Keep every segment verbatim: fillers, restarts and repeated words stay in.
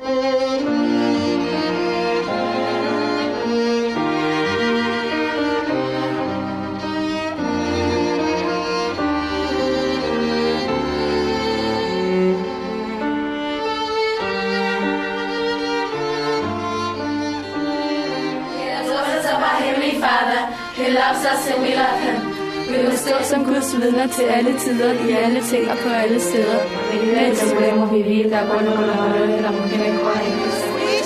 As our Heavenly Father, He loves us and we love Him. Vi vil stå som Guds vidner til alle tider, i alle ting og på alle steder. Which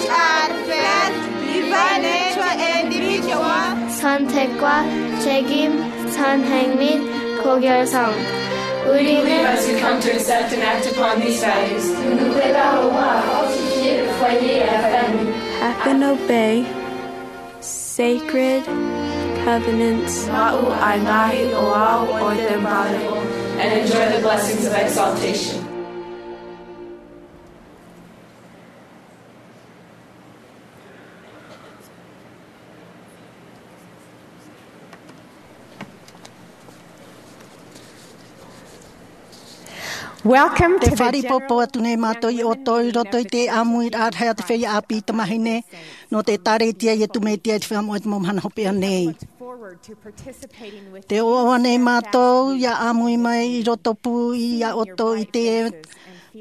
are first, divine nature and individual. Santekwa, Chegim, Sanhengmit, Kogyarsang. Urine. As we come to accept and act upon these values. Nous préparons à fortifier le foyer et la famille. Atheno Bay. Sacred covenants. Ma'u ai ngaahi ʻoaʻoa o te vale. And enjoy the blessings of exaltation. Welcome to the general. Tē fāriʻipoipo atu nei mātou ia ʻoutou i roto i te ʻāmuiraʻa rahi a te feiā ʻāpī tamāhine nō te ʻĒkālesia Iesu Mesia i te Feiā Moʻa i te Mau Mahana Hopeʻa nei. Tē ʻoaʻoa nei mātou ia ʻāmui mai i roto pū ia ʻoutou i te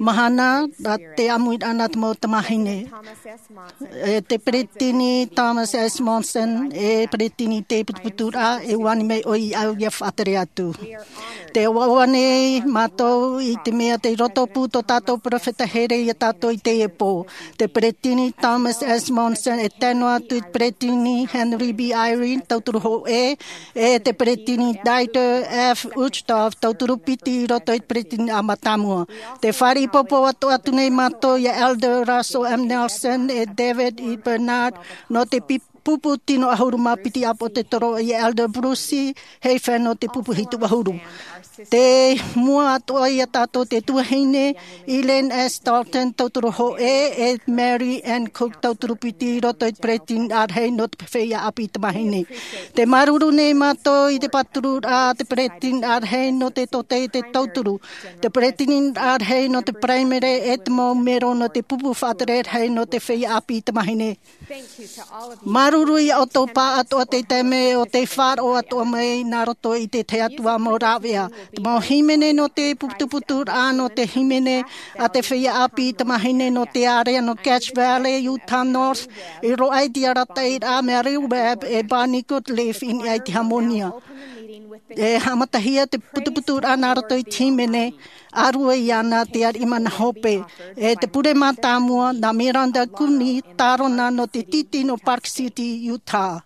mahana, nā te ʻāmuiraʻa nā te mau tamāhine. E te Peresideni Thomas S. Monson, e Peresideni i te putuputuraʻa, e ani mai ʻoia ia faʻatere atu. Tē ʻoaʻoa nei mātou i te mea tei roto pū tō tātou perofeta here ia tātou i teie pō. Te Peresideni Thomas S. Monson, e tae noa atu i te Peresideni Henry B. Eyring, tauturu hōʻē, e te Peresideni Dieter F. Uchtdorf, tauturu piti i roto i te Peresideniraʻa mātāmua. Tē fāriʻipoipo atu, atu nei mātou ia Elder Russell M. Nelson, e David E. Bednar, nō te pi-, pupu tino ʻahuru mā piti ʻāpōsetolo, ia Elder Bruce Hafer nō te pupu hitu ʻahuru. Tei mua atoʻa ia tātou te tuahine Elaine S. Dalton, tauturu hōʻē, e Mary N. Cook, tauturu piti i roto i te Peresideniraʻa rahi nō te feiā ʻāpī tamāhine. Tē māuruuru nei mātou i te pātururaʻa a te Peresideniraʻa rahi nō te tōtaiete tauturu, te Peresideniraʻa rahi nō te Paraimere, e te mau mero nō te pupu faʻatere rahi nō te feiā ʻāpī tamāhine. Māuruuru ia ʻoutou pāʻatoʻa i te taime o tei faʻaroʻo atoʻa mai nā roto i te Atua mau rāveʻa. Te mau hīmene nō te putuputuraʻa, nō te hīmene a te feiā ʻāpī tamāhine nō te ārea nō Cache Valley, Utah North, i roaʻa i te arataʻiraʻa mai Rehoboth, e Bonnie Goodleaf i niʻa i te Hāmōnia. E haʻamatahia te putuputuraʻa nā roto i te hīmene, ʻārue iāna te ariʻi mana hope, e te pure mātāmua nā Miranda Cooney, tārona nō te tītī nō Park City, Utah.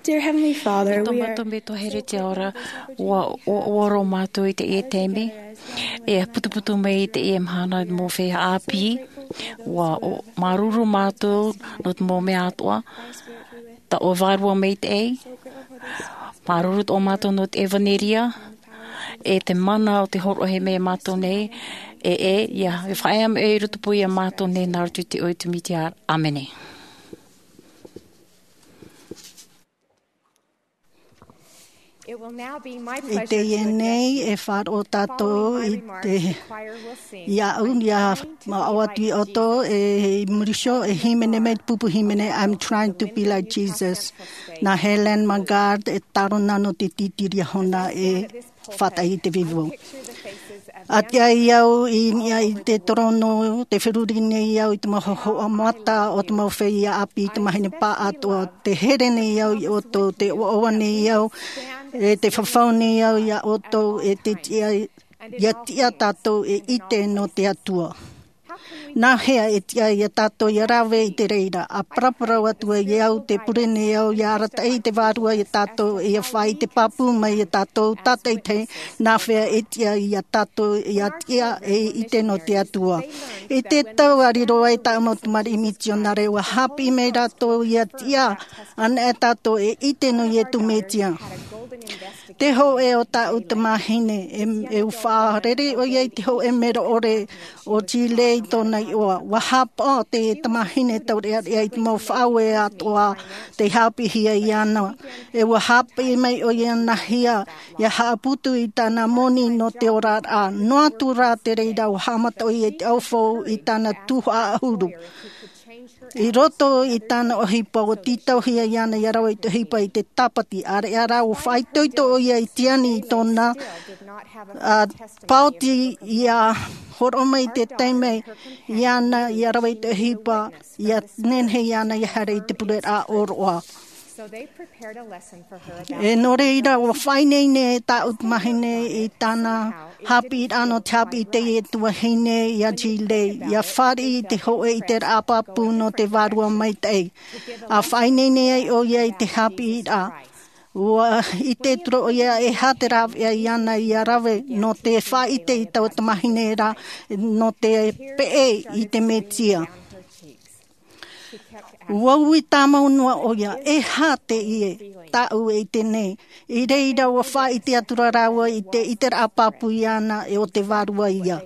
Dear Heavenly Father, tō we are mātou Metua here te ao ra, ua, ua, ua roa mātou i teie taime, e putuputu mai i teie mahana mō feiā ʻāpī, ua o, māuruuru mātou nō te mau mea atoʻa, tā ʻoe Vārua Maitaʻi, māuruuru tō mātou nō te ʻevanelia, e te mana o te hōroʻahia mai mātou nei, e, e, ia, e faʻaea mai i roto pū ia mātou nei nā roto i te iʻoa o Iesu Mesia. ʻĀmene. I teie nei e faʻaroʻo tātou i te, iaʻu, ia maʻo atu iā ʻoutou e muri iho e hīmene mai te pupu hīmene I'm Trying to Be Like Jesus. Nā Helen Mangard e tārona nō te tītīria hona e faʻataʻa i te vivo. ʻA tiʻa au i niʻa i te torono, te feruri nei au i te mau hōhoʻa mata o te mau feiā ʻāpī, te mahine pāʻatoʻa, te here nei au iā ʻoutou, te ʻoaʻoa nei au, e te fafau nei au iā ʻoutou, e te tiʻa, ia tiʻa tātou e ʻite nō te Atua. Nāhea e tiʻa iā tātou ia rave i te reira? ʻA paraparau atu ai au, te pure nei au ia arataʻi i te Vārua iā tātou, ia faʻaʻite pāpū mai iā tātou tātaʻitahi, nāhea e tiʻa iā tātou ia tiʻa e ʻite nō te Atua. I te tau a riro ai tāʻu mau tamariʻi mitionare, ua haʻapiʻi mai rātou ia tiʻa anaʻe tātou e ʻite nō Iesu Mesia. Te hōʻē o tāʻu tamahine, e, e faʻarere ʻoia i te hōʻē mero ʻore o Chile i tōna iʻoa. Ua haʻapaʻo te tamahine taureʻareʻa i te mau faʻaue atoʻa tei haʻapiʻihia iāna. E ua haʻapiʻi mai ʻoia nāhea ia haʻaputu i tāna moni nō te oraraʻa. Noa atu rā te reira, ua haʻamata ʻoia i te ʻaufau i tāna tuhaʻa ʻahuru. I roto i tāna ʻohipa, ua tītauhia iāna ia rave i te ʻohipa i te tāpati. ʻĀreʻa rā, ua faʻaitoito ʻoia i Tiani i tōna, ā, paoti ia hōroʻa mai i te taime iāna ia rave i te ʻohipa, ia nehenehe iāna ia haere i te pureraʻa ʻōroʻa. E nō reira, ua faʻaineine tāʻu tamahine i tāna haʻapiʻiraʻa nō te haʻapiʻi i teie tuahine iā Chile, ia fāriʻi i te hōʻē ʻiteraʻa pāpū nō te Vārua Maitaʻi. ʻA faʻaineine ai ʻoia i te haʻapiʻiraʻa, ua ʻite atu ra ʻoia e aha te rāveʻa iāna ia rave nō te faʻaʻite i taua tamahine ra, nō te peʻe i te Mesia. Ua ui tāmau noa ʻoia, e aha teie tāʻu e ʻite nei? I reira ua faʻaʻite atu ra rāua i te ʻiteraʻa pāpū iāna e o te Vārua ia.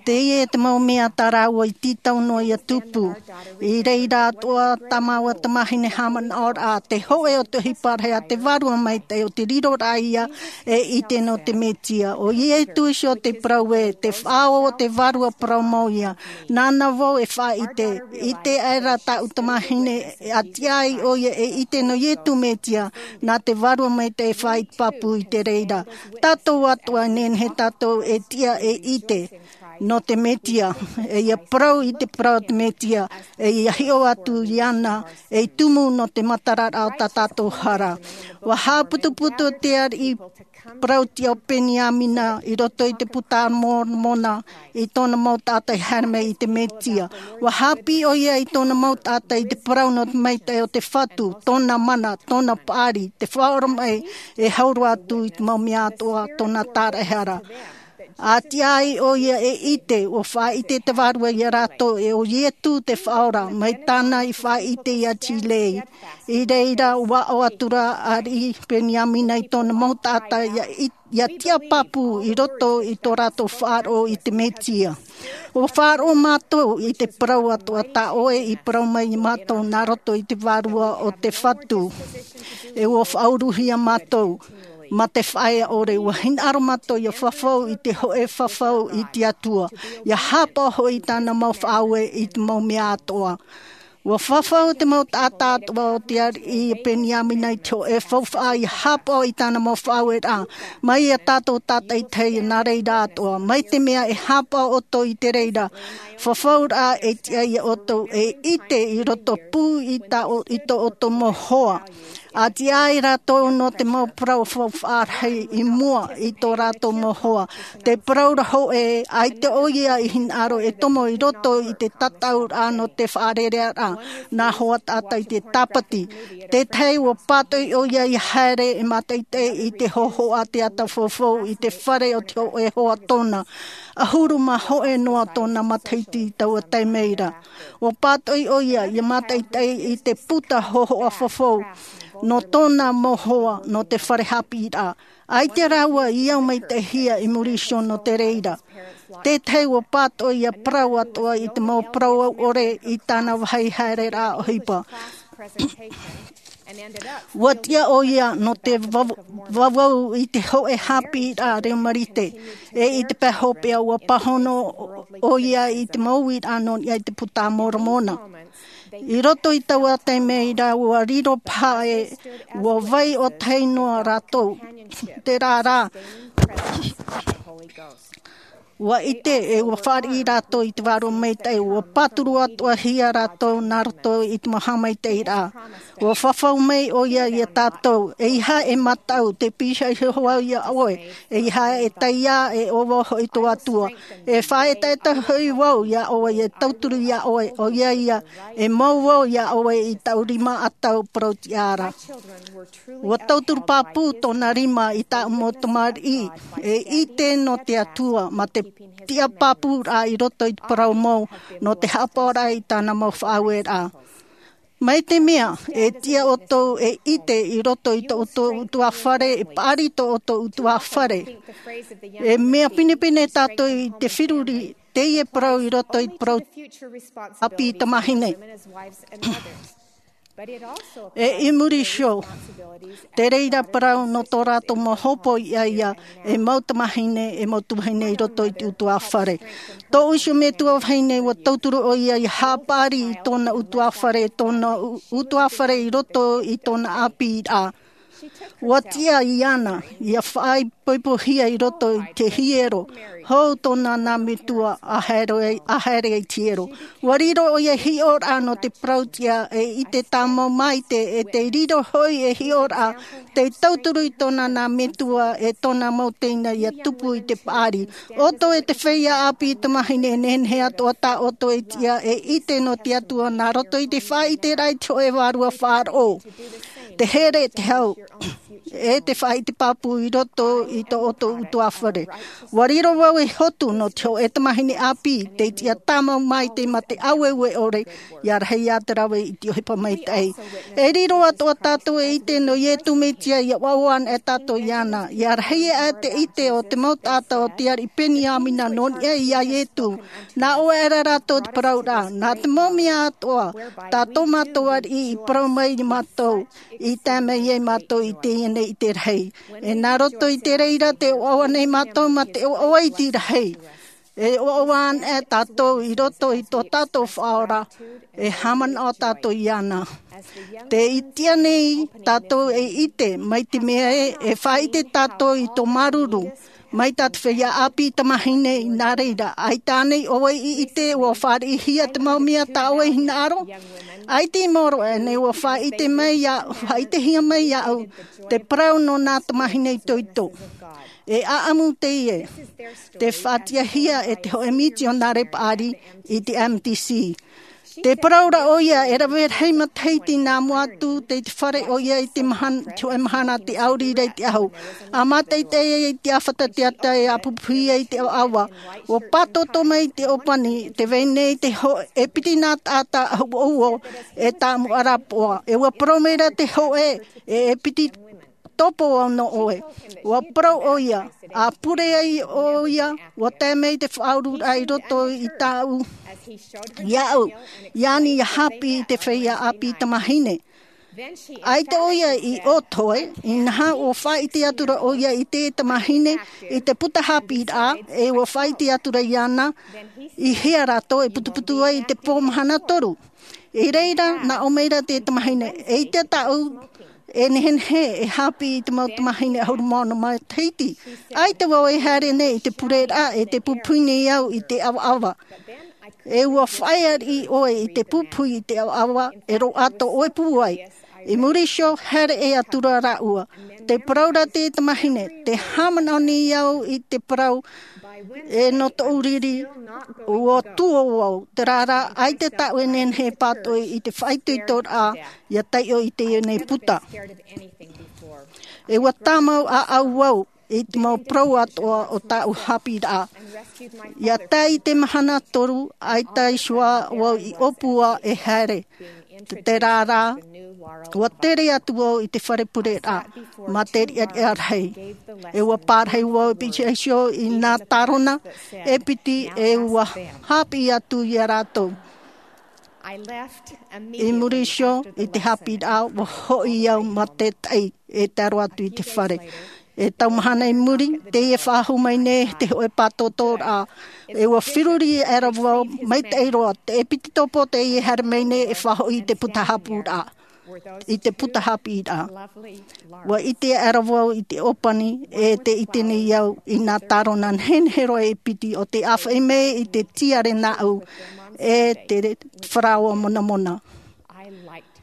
Teie te mau mea tā rāua i tītau noa ia tupu. I reira atoʻa tā māua tamahine haʻamanaʻoraʻa, te hōʻē o te ʻohipa rahi a te Vārua Maitaʻi, ʻo te riroraʻa ia e ʻite nō te Mesia. ʻO Iesu iho te parau ē, te faʻaora o te Vārua parau mau ia. Nāna vau e faʻaʻite, ʻite aʻera tāʻu tamahine, ʻa tiʻa ai ʻoia e ʻite nō Iesu Mesia, nā te Vārua Maitaʻi e faʻaʻite pāpū i te reira. Tātou atoʻa e nehenehe tātou e tiʻa e ʻite nō te Mesia, e ia parau i te parau o te Mesia, e ia hiʻo atu iāna, e tumu nō te matararaʻa o tā tātou hara. Ua haʻaputuputu te ariʻi parau tiʻa o Peniamina i roto i te Puta a Moromona i tōna mau taʻata i haere mai i te Mesia. Ua haʻapiʻi ʻoia i tōna mau taʻata i te parau nō te maitaʻi o te Fatu, tōna mana, tōna paʻari, te faʻaora mai e hau roa atu i te mau mea atoʻa tōna tāraʻehara. ʻA tiʻa ai ʻoia e ʻite, ua faʻaʻite te Vārua ia rātou e ʻo Iesu te Faʻaora, mai tāna i faʻaʻite iā Chile. I reira, ua aʻo atu ra ariʻi Peniamina i tōna mau taʻata ia i, ia tiʻa pāpū i roto i tō rātou faʻaroʻo i te Mesia. Ua faʻaroʻo mātou i te parau atoʻa tā ʻoe i parau mai ia mātou nā roto i te Vārua o te Fatu. E ua faʻauruhia mātou mā te faʻaea ʻore, ua hinaʻaro mātou ia fafau i te hōʻē fafau i te Atua, ia haʻapaʻo hoʻi i tāna mau faʻaue i te mau mea atoʻa. Ua fafau te mau taʻata atoʻa o te ariʻi Peniamina i te hōʻē faufaʻa ia haʻapaʻo i tāna mau faʻaueraʻa, mai iā tātou tātaʻitahi nā reira atoʻa, mai te mea e haʻapaʻo ʻoutou i te reira fafauraʻa e tiʻa iā ʻoutou e ʻite i roto pū i tā ʻo-, i tō ʻoutou mau hoa. A tiʻa ai rātou nō te mau parau faufaʻa rahi i mua i tō rātou mau hoa. Te parau ra hōʻē, ʻaita ʻoia i hinaʻaro e tomo i roto i te tataʻuraʻa nō te faʻarerearaʻa nā hoa taʻata i te tāpati. Tētahi ʻua pātoʻi ʻoia i haere e mātaʻitaʻi i te hōhoʻa teata faufaʻa i te fare o te hōʻē hoa tōna. ʻAhuru mā hōʻē noa tōna matahiti i taua taime ra. ʻUa pātoʻi ʻoia i mātaʻitaʻi i te puta hōhoʻa faufaʻa nō tōna mau hoa nō te fare haʻapiʻiraʻa. ʻAita rāua i au maitaʻihia i muri iho nō te reira. Tētahi ʻua pātoʻi ia parau atoʻa i te mau parau ʻore i tāna vāhi haereraʻa ʻohipa. ʻUa tiʻa ʻoia nō te vau-, vauvau i te hōʻē haʻapiʻiraʻa reo Marite. E i te pae hopeʻa ʻua pāhono ʻoia i te mau uiraʻa nō niʻa i te puta a Moromona. I roto i taua taime ra ʻua riro paha ē, ʻua vai ʻo tahi noa rātou. Terā rā, ʻua ʻite e ʻua fāriʻi rātou i te Vārua Maitaʻi, ʻua pāturu atoʻahia rātou nā roto i te mau haʻamaitaʻiraʻa. ʻUa fafau mai ʻoia ia tātou, ʻeiaha e mataʻu, tē pīhaʻi iho au ia ʻoe, ʻeiaha e taiā, e ʻo vau hoʻi tō Atua. E faʻaetaeta hoʻi vau ia ʻoe, e tauturu ia ʻoe, ʻoia ia, e mau vau ia ʻoe i taʻu rima ʻatau parau-tiʻa ra. ʻUa tauturu pāpū tōna rima i tāʻu mau tamariʻi, e ʻite nō te Atua, mā te tiʻa pāpūraʻa i roto i te parau mau, nō te haʻapaʻoraʻa i tāna mau faʻaueraʻa. Mai te mea, e tiʻa ʻoutou e ʻite i roto i tō ʻoutou ʻutuāfare, e paʻari tō ʻoutou ʻutuāfare. E mea pinepine tātou i te feruri, teie parau i roto i te parau ʻāpī tamāhine. E i muri iho, te reira parau nō tō rātou mau hōpoiʻa ia, e mau tamāhine, e mau tuahine i roto i te ʻutuāfare. Tōʻu iho metua vahine ʻua tauturu ʻoia ia haʻapaʻari i tōna ʻutuāfare, tōna ʻu-, ʻutuāfare i roto i tōna ʻāpīraʻa. ʻUa tiʻa iāna, ia faʻaipoipohia i roto i te hiero, hou tōna nā metua a haere, a haere i te hiero. ʻUa riro ʻoia hiʻoraʻa nō te parau-tiʻa e ʻite tāmau maite, e tē riro hoʻi e hiʻoraʻa, tē tauturu i tōna nā metua e tōna mau teina ia tupu i te paʻari. ʻOutou e te feiā ʻāpī tamāhine e nehenehe atoʻa tā ʻoutou e tiʻa e ʻite nō te Atua nā roto i te faʻaʻiteraʻa i te hōʻē vārua faʻaroʻo. Te here, te hau, e te faʻaʻite pāpū i roto i tō ʻoutou ʻutuāfare. ʻUa riro vau ei hotu nō te hōʻē tamāhine ʻāpī, tē tiʻa tāmau maite mā te ʻaueue ʻore, ia rahi ā te rave i te ʻohipa maitaʻi. E riro atoʻa tātou e ʻite nō Ietu Metia, ʻia ʻoaʻoa ana e tātou iāna. Ia rahi ā te ʻite o te mau taʻata o te ariʻi Peniamina nō niʻa iā Ietu. Nā ʻō aʻera rātou te parauraʻa, nā te mau mea atoʻa, tā tō mātou ariʻi i parau mai ia mātou, i tae mai ai mātou i teie nei ʻite rahi. E nā roto i te reira tē ʻoaʻoa nei mātou mā te ʻoaʻoa iti rahi. E ʻoaʻoa ana e tātou i roto i tō tātou Faʻaora, e haʻamanaʻo tātou iāna. Tē tiʻa nei tātou e ʻite, mai te mea ē, e faʻaʻite tātou i tō māuruuru, mai tā te feiā ʻāpī tamāhine, i nā reira, ʻaita ānei ʻoe i ʻite, ʻua fāriʻihia te mau mea tā ʻoe i hinaʻaro? ʻAita i maoro aʻenei, ʻua faʻaʻite mai iā, faʻaʻitehia mai iāʻu, te parau nō nā tamāhine itoito. E ʻāʻamu teie, tē faʻatiʻahia e te hōʻē mitionare paʻari i te M T C. Tē parau ra ʻoia, e rave rahi matahiti nā mua atu, tei te fare ʻoia i te mahana, te hōʻē mahana, te ʻauri ra i te ahu. ʻA mātaʻitaʻi ai i te ʻāfata teata, e ʻa pupuhi ai i te ʻavaʻava. ʻUa pātōtō mai te ʻōpani, tē vai nei te hōʻē, e piti nā taʻata ʻuʻuo, e tāʻamu ʻarapoʻa. E ʻua parau mai ra te hōʻē, e, e piti topo au nō ʻoe. ʻUa parau ʻoia, ʻa pure ai ʻoia, ʻua tae mai te faʻaururaʻa i roto i tāʻu, iāʻu, iāna ʻia haʻapiʻi i te feiā ʻāpī tamāhine. ʻAita ʻoia i ʻō toe, inaha ʻua faʻaʻite atu ra ʻoia i te tamāhine, i te puta haʻapiʻiraʻa, e ʻua faʻaʻite atu ra iāna, i hea rātou e putuputu ai i te pō mahana toru. I reira, nā ʻō mai ra te tamāhine, eʻita tāʻu, e nehenehe, e haʻapiʻi i te mau tamāhine ʻahuru mā ono matahiti. ʻAita vau e haere nei i te pureraʻa, e tē pupuhi nei au i te ʻavaʻava. E ʻua faʻaea riʻi ʻoe i te pupuhi i te ʻavaʻava, e roaʻa tō ʻoe pūai. I muri iho, haere ʻē atu ra rāua. Tē parau ra te tamahine, tē haʻamanaʻo nei au i te parau, e nō tōʻu riri, ʻua tuō au, terā rā, ʻaita tāʻu e nehenehe e pātoʻi i te faʻaitoitoraʻa, ʻia taiʻo i teie nei puta. E ʻua tāmau ʻāʻau au, i te mau parau atoʻa o tāʻu haʻapiʻiraʻa. ʻIa tae i te mahana toru, ʻaita iho ā vau i ʻōpua e haere. Te, terā rā, ʻua tere atu vau i te fare pureraʻa, mā te riʻariʻa rahi. E ʻua pārahi vau e piti iho i nā tārona, e piti e ʻua haʻapiʻi atu ia rātou. I muri iho i te haʻapiʻiraʻa, ʻua hoʻi au mā te taʻi e taro atu i te fare. E tau mahana i muri, teie e faʻahou mai nei te hōʻē pātōtōraʻa. E ʻua feruri aʻera vau, maitaʻi roa, te e piti tōpō teie e haere mai nei e faʻahoʻi i te puta haʻapūraʻa. I te puta haʻapiʻiraʻa. ʻUa ʻite aʻera vau i te ʻōpani, e tē ʻite nei au i nā tārona nehenehe roa e piti o te ʻāfaʻi mai i te tiare nāʻu, e te faraoa monamona.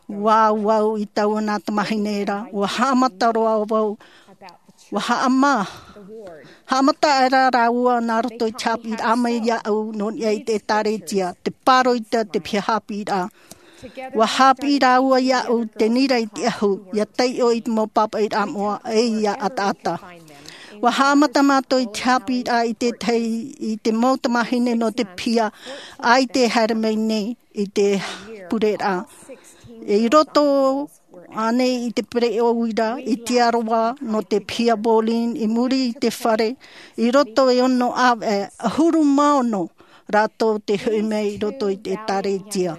ʻUa au i taua nā tamahine ra, ʻua haʻamata roa vau, ʻua haʻamā, haʻamata aʻera rāua nā roto i te haʻapiʻiraʻa mai iāʻu nō niʻa i te ʻētāretia, te pāroita, te piha haʻapiʻiraʻa. ʻUa haʻapiʻi rāua iāʻu te nira i te ʻahu, ʻia taiʻo i te mau pāpaʻiraʻa moʻa, e ʻia ʻataʻata. ʻUa haʻamata mātou i te haʻapiʻiraʻa i te tahi, i te mau tamahine nō te piha, ʻaita e haere mai nei i te pureraʻa. I roto ānei i te pereʻoʻo uira, i te aroha nō te piha bowling, i muri i te fare, i roto e ono ʻāvaʻe, ʻahuru mā ono rātou tē hoʻi mai i roto i te ʻētāretia.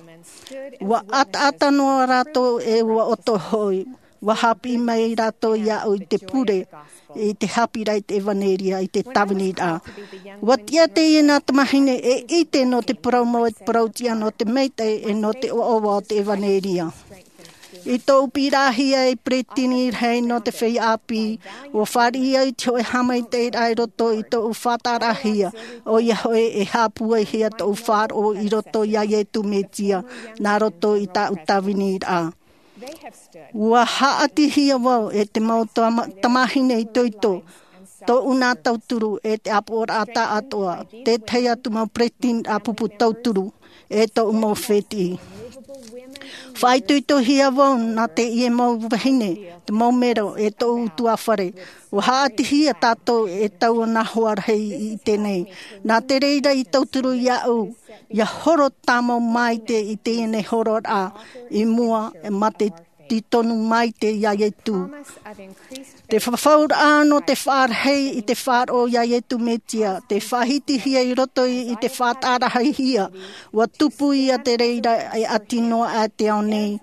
ʻUa ʻataʻata noa rātou e ʻua ʻoto hoʻi. ʻUa haʻapiʻi mai rātou iāʻu i te pure, i te haʻapiʻiraʻa i te ʻevanelia, i te tāviniraʻa. ʻUa tiʻa teie nā tamahine e ʻite nō te parau mau, e te parau tiʻa nō te maitaʻi, e nō te ʻoaʻoa o te ʻevanelia. I tōʻu piʻiraʻahia ei peretiteni rahi nō te feiā ʻāpī, ʻua fāriʻi au i te hōʻē haʻamaitaʻiraʻa i roto i tōʻu faʻataʻarahia, ʻoia hoʻi e haʻapūaihia tōʻu faʻaroʻo i roto iā Iesu Mesia, nā roto i tāʻu tāviniraʻa. ʻUa haʻatihia vau e te mau tama-, tamāhine itoito, tōʻu nā tauturu e te ʻāpoʻoraʻa tāʻātoʻa, te tahi atu mau peretiteni ʻāpupu tauturu, e tōʻu mau fētiʻi. Faʻaitoitohia vau nā teie mau vahine, te mau mero, e tōʻu ʻutuāfare. ʻUa haʻatihia tātou e taua nā hoa rahi i ʻite nei. Nā te reira i tauturu iāʻu, ʻia horo tāmau maite i teie nei hororaʻa i mua, mā te tītonu maite iā Iesu. Te fafauraʻa nō te faʻarahi i te faʻaroʻo iā Iesu Mesia, te faʻahitihia i roto i, i te faʻatarahihia, ʻua tupu ia te reira e ʻati noa aʻe te ao nei,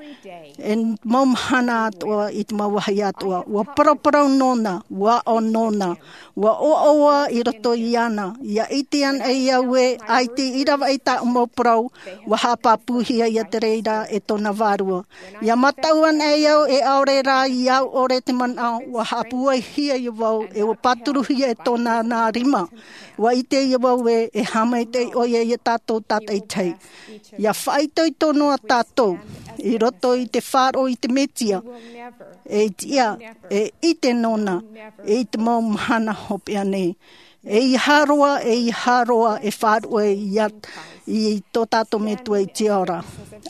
e mau mahana atoʻa i te mau vāhi atoʻa. ʻUa paraparau nōna, ʻua aʻo nōna, ʻua ʻoaʻoa i roto iāna, ʻia ʻite anaʻe au ē, ʻaita i ravaʻi tāʻu mau parau, ʻua haʻapāpūhia ia te reira e tōna vārua. ʻIa mataʻu anaʻe au e ʻaore rā i au ʻore te manaʻo, ʻua haʻapūaihia ia vau, e ʻua pāturuhia e tōna nā rima. ʻUa ʻite ia vau ē, e haʻamaitaʻi ʻoia iā tātou tātaʻitahi. ʻIa faʻaitoito noa tātou, i roto i te faʻaroʻo i te Mesia, e tiʻa, e ʻite nōna, i te mau mahana hopeʻa nei. E ʻeiaha roa, e ʻeiaha roa, e faʻaruʻe iā, i tō tātou Metua i te ora.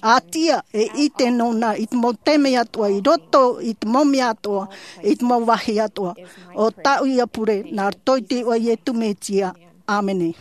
ʻA tiʻa, e ʻite nōna, i te mau taime atoʻa, i roto, i te mau mea atoʻa, i te mau vāhi atoʻa. ʻO tāʻu ia pure, nā roto i te iʻoa o Iesu Mesia. ʻĀmene.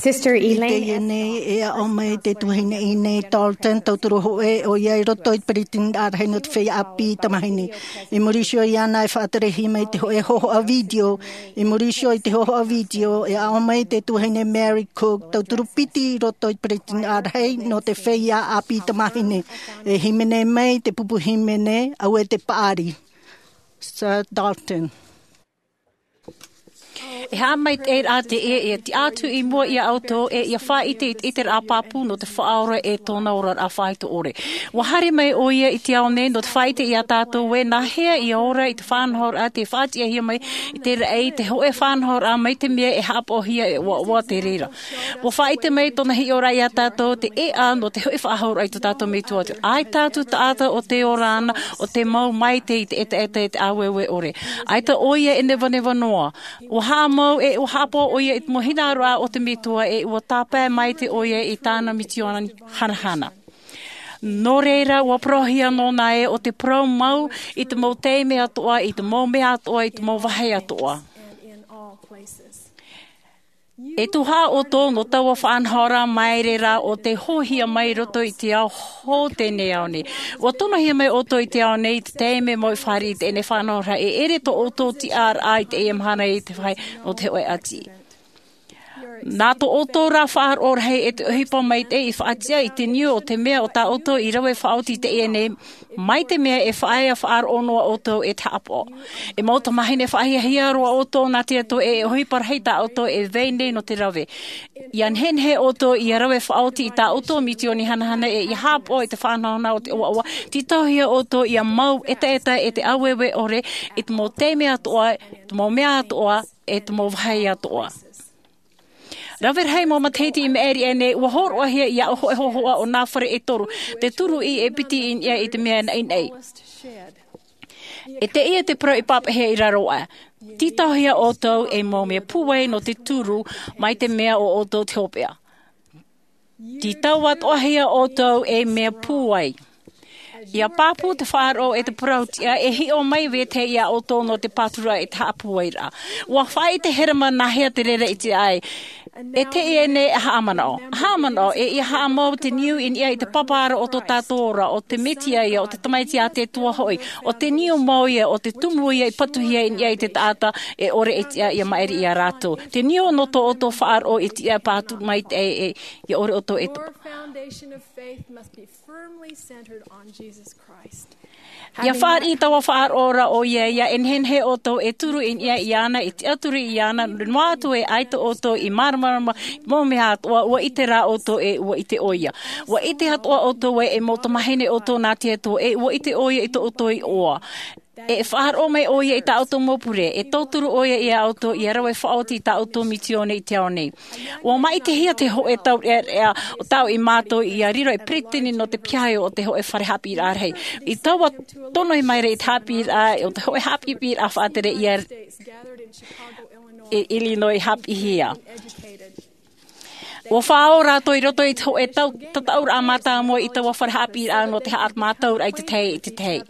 Sister Elaine. Teie nei e aʻo mai te tuahine Elaine Dalton, tauturu hōʻē ʻoia i roto i te peretiteni rahi nō te feiā ʻāpī tamāhine. I muri iho iāna e faʻaterehia mai te hōʻē hōhoʻa video. I muri iho i te hōhoʻa video, e aʻo mai te tuahine Mary Cook, tauturu piti i roto i te peretiteni rahi nō te feiā ʻāpī tamāhine. E hīmene mai te pupu hīmene, auē te paʻari. Sir Dalton. E haʻamaitaʻi rā teie, e tiʻa atu i mua iā ʻoutou, e ʻia faʻaʻite i te ʻiteraʻa pāpū nō te Faʻaora e tōna oraraʻa faʻaitoito ʻore. ʻUa haere mai ʻoia i te ao nei nō te faʻaʻite iā tātou ē, nāhea ʻia ora i te faʻanahoraʻa tē faʻatiʻahia mai i te raʻi, te hōʻē faʻanahoraʻa mai te mea e haʻapaʻohia e ʻoaʻoa te reira. ʻUa faʻaʻite mai tōna hiʻoraʻa iā tātou te ʻēʻa nō te hōʻē faʻahouraʻa i tō tātou Metua. ʻAita atu taʻata ʻo tē ora ana, ʻo tē mau maitaʻi i te ʻetaʻeta e te ʻāueue ʻore. ʻAita ʻoia e nevaneva noa. ʻUa haʻamau e ʻua haʻapaʻo ʻoia i te mau hinaʻaroraʻa o te Metua, e ʻua tāpae maitaʻi ʻoia i tāna misiōni hanahana. Nō reira, ʻua parauhia nōna ē ʻo te parau mau i te mau taime atoʻa, i te mau mea atoʻa, i te mau vāhi atoʻa. E tuhaʻa ʻoutou nō taua faʻanahoraʻa maere rā ʻo tē hoʻihia mai i roto i te ao hou teie nei ao nei. ʻUa tonohia mai ʻoutou i te ao nei i te taime mau i fāriʻi i teie nei faʻanahoraʻa, e ʻere tō ʻoutou tiʻaraʻa i teie mahana i te vāhi nō te hōʻē ʻati. Nā tō ʻoutou rā faʻaroʻo rahi e te ʻohipa maitaʻi i faʻatiʻa i te niu o te mea ʻo tā ʻoutou i rave faʻaoti i teie nei, mai te mea e faʻaea faʻaroʻo noa ʻoutou e te haʻapaʻo. E mau tamāhine faʻahiahia roa ʻoutou nā te Atua, e ʻohipa rahi tā ʻoutou e vai nei nō te rave. ʻIa nehenehe ʻoutou ʻia rave faʻaoti i tā ʻoutou misiōni hanahana, e ʻia haʻapaʻo i te faʻanahonahoraʻa o te ʻoaʻoa, tītauhia ʻoutou ʻia mau ʻetaʻeta e te ʻāueue ʻore, i te mau taime atoʻa, i te mau mea atoʻa, e te mau vāhi atoʻa. Rave rahi mau matahiti i maʻiri aʻe nei, ʻua hōroʻahia iāʻu hōʻē hōhoʻa o nā fare e toru, te turu i e piti i niʻa i te mea naʻinaʻi. E teie te parau i pāpaʻihia i raro aʻe. Tītauhia ʻoutou ei mau mea pūai nō te turu mai te mea ʻo ʻoutou te hopeʻa. Tītau atoʻahia ʻoutou ei mea pūai. ʻIa pāpū te faʻaroʻo e te parau tiʻa, e hiʻo mai vetahi iā ʻoutou nō te pāturaʻa e te haʻapūairaʻa. ʻUa faʻaʻite Herema nāhea te reira i te ʻae. E teie nei e haʻamanaʻo. Haʻamanaʻo, e ʻia haʻamau te niu i niʻa i te pāpaʻiraʻa o tō tātou ora, ʻo te Mesia ia, ʻo te Tamaiti a te Atua hoʻi, ʻo te niu mau ia, ʻo te tumu ia i patuhia i niʻa i te taʻata e ʻore e tiʻa ʻia maʻiri iā rātou. Te niu nō tō ʻoutou faʻaroʻo e tiʻa pātū mai te ʻae e, ʻia ʻore ʻoutou e topa. Your foundation of faith must be firmly centered on Jesus Christ. ʻIa fāriʻi taua faʻaroʻo ra ʻoia, ʻia nehenehe ʻoutou e turu i niʻa iāna, e tiʻaturi iāna, noa atu e ʻaita ʻoutou i māramarama i te mau mea atoʻa, ʻua ʻite rā ʻoutou e ʻua ʻite ʻoia. ʻUa ʻite atoʻa ʻoutou ē e mau tamāhine ʻoutou nā te Atua, e ʻua ʻite ʻoia i tō ʻoutou iʻoa. E faʻaroʻo mai ʻoia i tā ʻoutou mau pure, e tauturu ʻoia iā ʻoutou ʻia rave faʻaoti i tā ʻoutou misiōni i te ao nei. ʻUa maʻitihia te hōʻē taureʻareʻa o tāʻu i mātau ʻia riro ei peretiteni nō te piahi o te hōʻē fare haʻapiʻiraʻa rahi. I taua tono mai ra i te haʻapiʻiraʻa, o te hōʻē haʻapiʻiraʻa faʻatere ia i Illinois i haʻapiʻihia. ʻUa faʻaora rātou i roto i te hōʻē tau, tataʻuraʻa mātāmua i taua fare haʻapiʻiraʻa nō te haʻamātauraʻa i te tahi, i te tahi.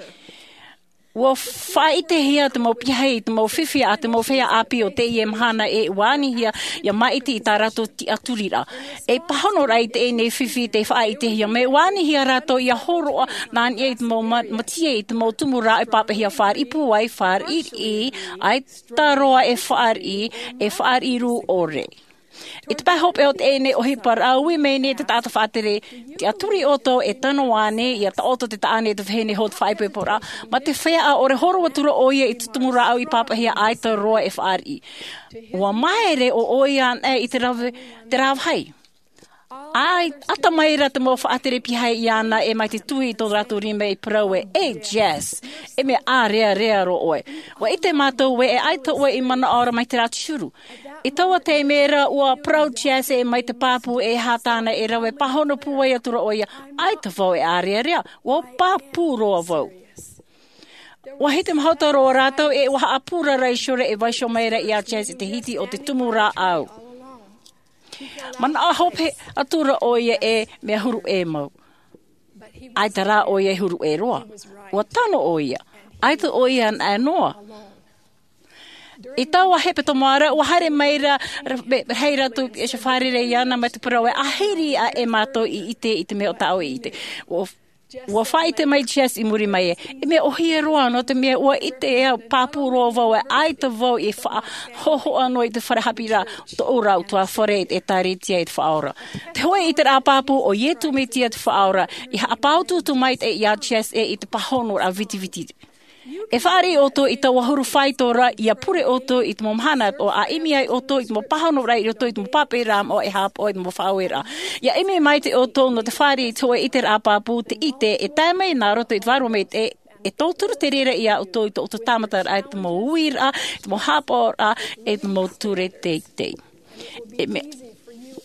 ʻUa faʻaʻitehia te mau piahi i te mau fifi a te mau feiā ʻāpī o teie mahana e ʻua anihia ʻia maʻiti i tā rātou tiʻaturiraʻa. E pāhonoraʻa i teie nei fifi tei faʻaʻitehia mai, ʻua anihia rātou ʻia hōroʻa nā niʻa i te mau ma-, mātaʻi i te mau tumu rāʻau i pāpaʻihia fāriʻi pūai, fāriʻi riʻi, ʻaita roa e fāriʻi, e fāriʻi rū ʻore. I te pae hopeʻa o teie nei ʻohipa, ui mai nei te taʻata faʻatere, tiʻaturi ʻoutou e tano ānei, ʻia taʻoto te taʻane e te vahine hou te faʻaipoiporaʻa, mā te feiā ʻaore horo atu ra ʻoia i te tumu rāʻau i pāpaʻihia ʻaita roa e fāriʻi. ʻUa māere ʻo ʻoia anaʻe i te rave, te rāvahi. ʻAita mai ra te mau faʻatere piahi iāna e mai te tuhi i tō rātou rima i parau ē, "E Jess, e mea ʻārearea roa ʻoe. ʻUa ʻite mātou ē e ʻaita ʻoe i manaʻo ra mai te rā te huru." I taua taime ra ʻua parau Jess e mai te pāpū e aha tāna e rave, pāhono pūai atu ra ʻoia, "ʻAita vau e ʻārearea, ʻua pāpū roa vau." ʻUa hitimahuta roa rātou e ʻua haʻapūrara iho ra e vaiiho mai ra iā Jess i te hiti o te tumu rāʻau. Manaʻo hope atu ra ʻoia e mea huru ʻē mau. ʻAita rā ʻoia e huru ʻē roa. ʻUa tano ʻoia. ʻAita ʻoia anaʻe noa. I taua hepetoma ra, ua haere mai ra, ra-, me-, rahi rātou e fārerei iāna mai te parau ē, ʻahiri aʻe mātou i ʻite i te mea o tāʻu e ʻite. Ua, ua faʻaʻite mai Jess i muri mai ē, e mea ʻōhie roa nō te mea ua ʻite au, pāpū roa vau ē, ʻaita vau i faʻahōhoʻa noa i te fare haʻapiʻiraʻa, tōʻu ra ʻutuāfare i te ʻĒtārētia i te Faʻaora. Te hōʻē ʻiteraʻa pāpū, ʻo Iesu Mesia te Faʻaora, i haʻapāutuutu maitaʻi iā Jess ē i te pāhonoraʻa vitiviti. E fāriʻi ʻoutou i taua huru faito ra, ʻia pure ʻoutou i te mau mahana atoʻa, ʻa ʻimi ai ʻoutou i te mau pāhonoraʻa i roto i te mau pāpaʻiraʻa moʻa e haʻapaʻo i te mau faʻaueraʻa. ʻIa ʻimi maitaʻi ʻoutou nō te fāriʻi i te hōʻē ʻiteraʻa pāpū, te ʻite e tae mai nā roto i te Vārua Maitaʻi, e tauturu te reira iā ʻoutou i tō ʻoutou tāmataraʻa, i te mau uiraʻa, i te mau haʻapaʻoraʻa, i te mau ture teitei. E mea,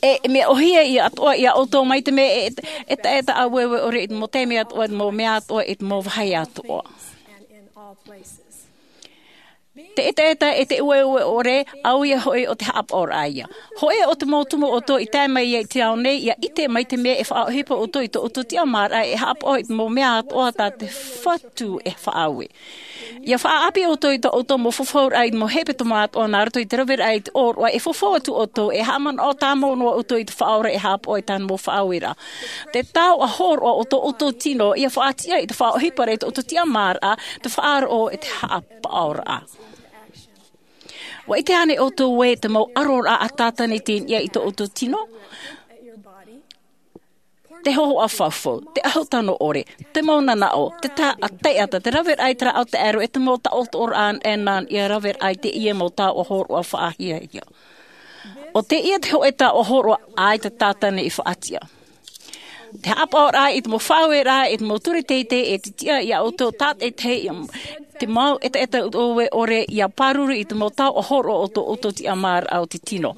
e, e mea ʻōhie ia atoʻa iā ʻoutou mai te mea e, e, e taʻata ʻāueue ʻore i te mau taime atoʻa, i te mau mea atoʻa, i te mau vāhi atoʻa. Te ʻetaʻeta e te ʻueue ʻore, ʻaita hoʻi ʻo te haʻapaʻoraʻa ia. Hōʻē o te mau tumu ʻoutou i tae mai ai i te ao nei, ʻia ʻite mai te mea e faʻaʻohipa ʻoutou i tō ʻoutou tiʻamāraʻa e haʻapaʻo i te mau mea atoʻa tā te Fatu e faʻaue. ʻIa faʻaʻapi ʻoutou i tō ʻoutou mau fafauraʻa i te mau hepetoma atoʻa nā roto i te raveraʻa i te ʻōroʻa, e fafau atu ʻoutou, e haʻamanaʻo tāmau noa ʻoutou i te Faʻaora e haʻapaʻo i tāna mau faʻaueraʻa. Te taoʻa hōroʻa o tō ʻoutou tino, ʻia faʻatiʻa i te faʻaʻohiparaʻa i tō ʻoutou tiʻamāraʻa, te faʻaroʻo e te haʻapaʻoraʻa. ʻUa ʻite ānei ʻoutou ē te mau ʻaroraʻa a Sātane i teie nei i tō ʻoutou tino? Te hōhoʻa fafau, te ʻahu tano ʻore, te mau nanaʻo, te taʻata, te raveraʻa i te rāʻau taʻero, e te mau taʻotoʻoraʻa ʻanaʻana ʻia raveraʻa i teie mau taoʻa hōroʻa faʻahiahia. ʻO teie te hōʻē taoʻa hōroʻa ʻaita Sātane i faʻatiʻa. Te haʻapaʻoraʻa i te mau faʻaueraʻa, i te mau ture teitei, e te tiʻa iā ʻoutou tātaʻitahi, i te mau ʻetaʻeta ʻueue ʻore, ʻia pāruru i te mau taoʻa hōroʻa o tō ʻoutou tiʻamāraʻa o te tino.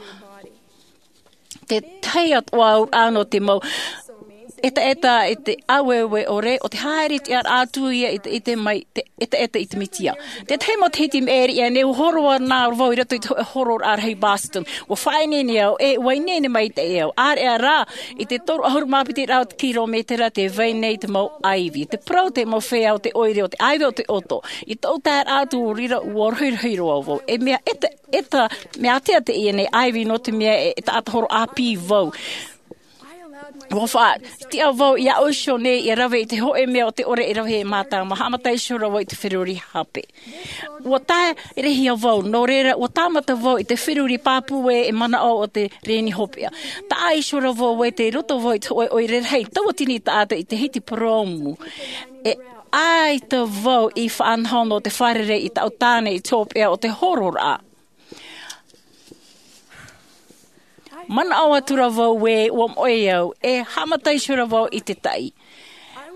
Te tahi atu ā nō te mau ʻetaʻeta i te ʻāueue ʻore, ʻo te haere tiʻaraʻa atu ia i te, i te mai, te ʻetaʻeta i te Mesia. Te tahi mau matahiti i maʻiri aʻe nei, ʻua hōroʻa nā vau i roto i te hō-, hōroʻaraʻa rahi Boston. ʻUa faʻaineine au, e ʻua ineine maitaʻi au. ʻĀreʻa rā, i te toru ʻahuru mā piti rau te kilometera tē vai nei te mau ʻaivi. Te parau te mau feiā o te ʻoire, ʻo te ʻaivi ʻo te ʻoto. I tōʻu taeraʻa atu i reira, ʻua rohirohi roa vau. E mea ʻeta-, ʻeta, mea ʻātea teie nei ʻaivi nō te mea e, e taʻata horo ʻāpī vau. ʻUa faʻatiʻa vau iāʻu iho nei ʻia rave i te hōʻē mea o te ʻore e rave e mātāmua, haʻamata iho ra vau i te feruri hape. ʻUa taerehia vau, nō reira, ʻua tāmata vau i te feruri pāpū ē e manaʻo ʻo te reni hopeʻa. Taʻa iho ra vau ē tei roto vau i te hōʻē ʻoire rahi, tauatini taʻata i te hiti purōmu. E ʻaita vau i faʻanaho nō te fārerei i tāʻu tāne i te hopeʻa o te hōroʻaraʻa. Manaʻo atu ra vau ē ʻua moʻe au, e haʻamata iho ra vau i te taʻi.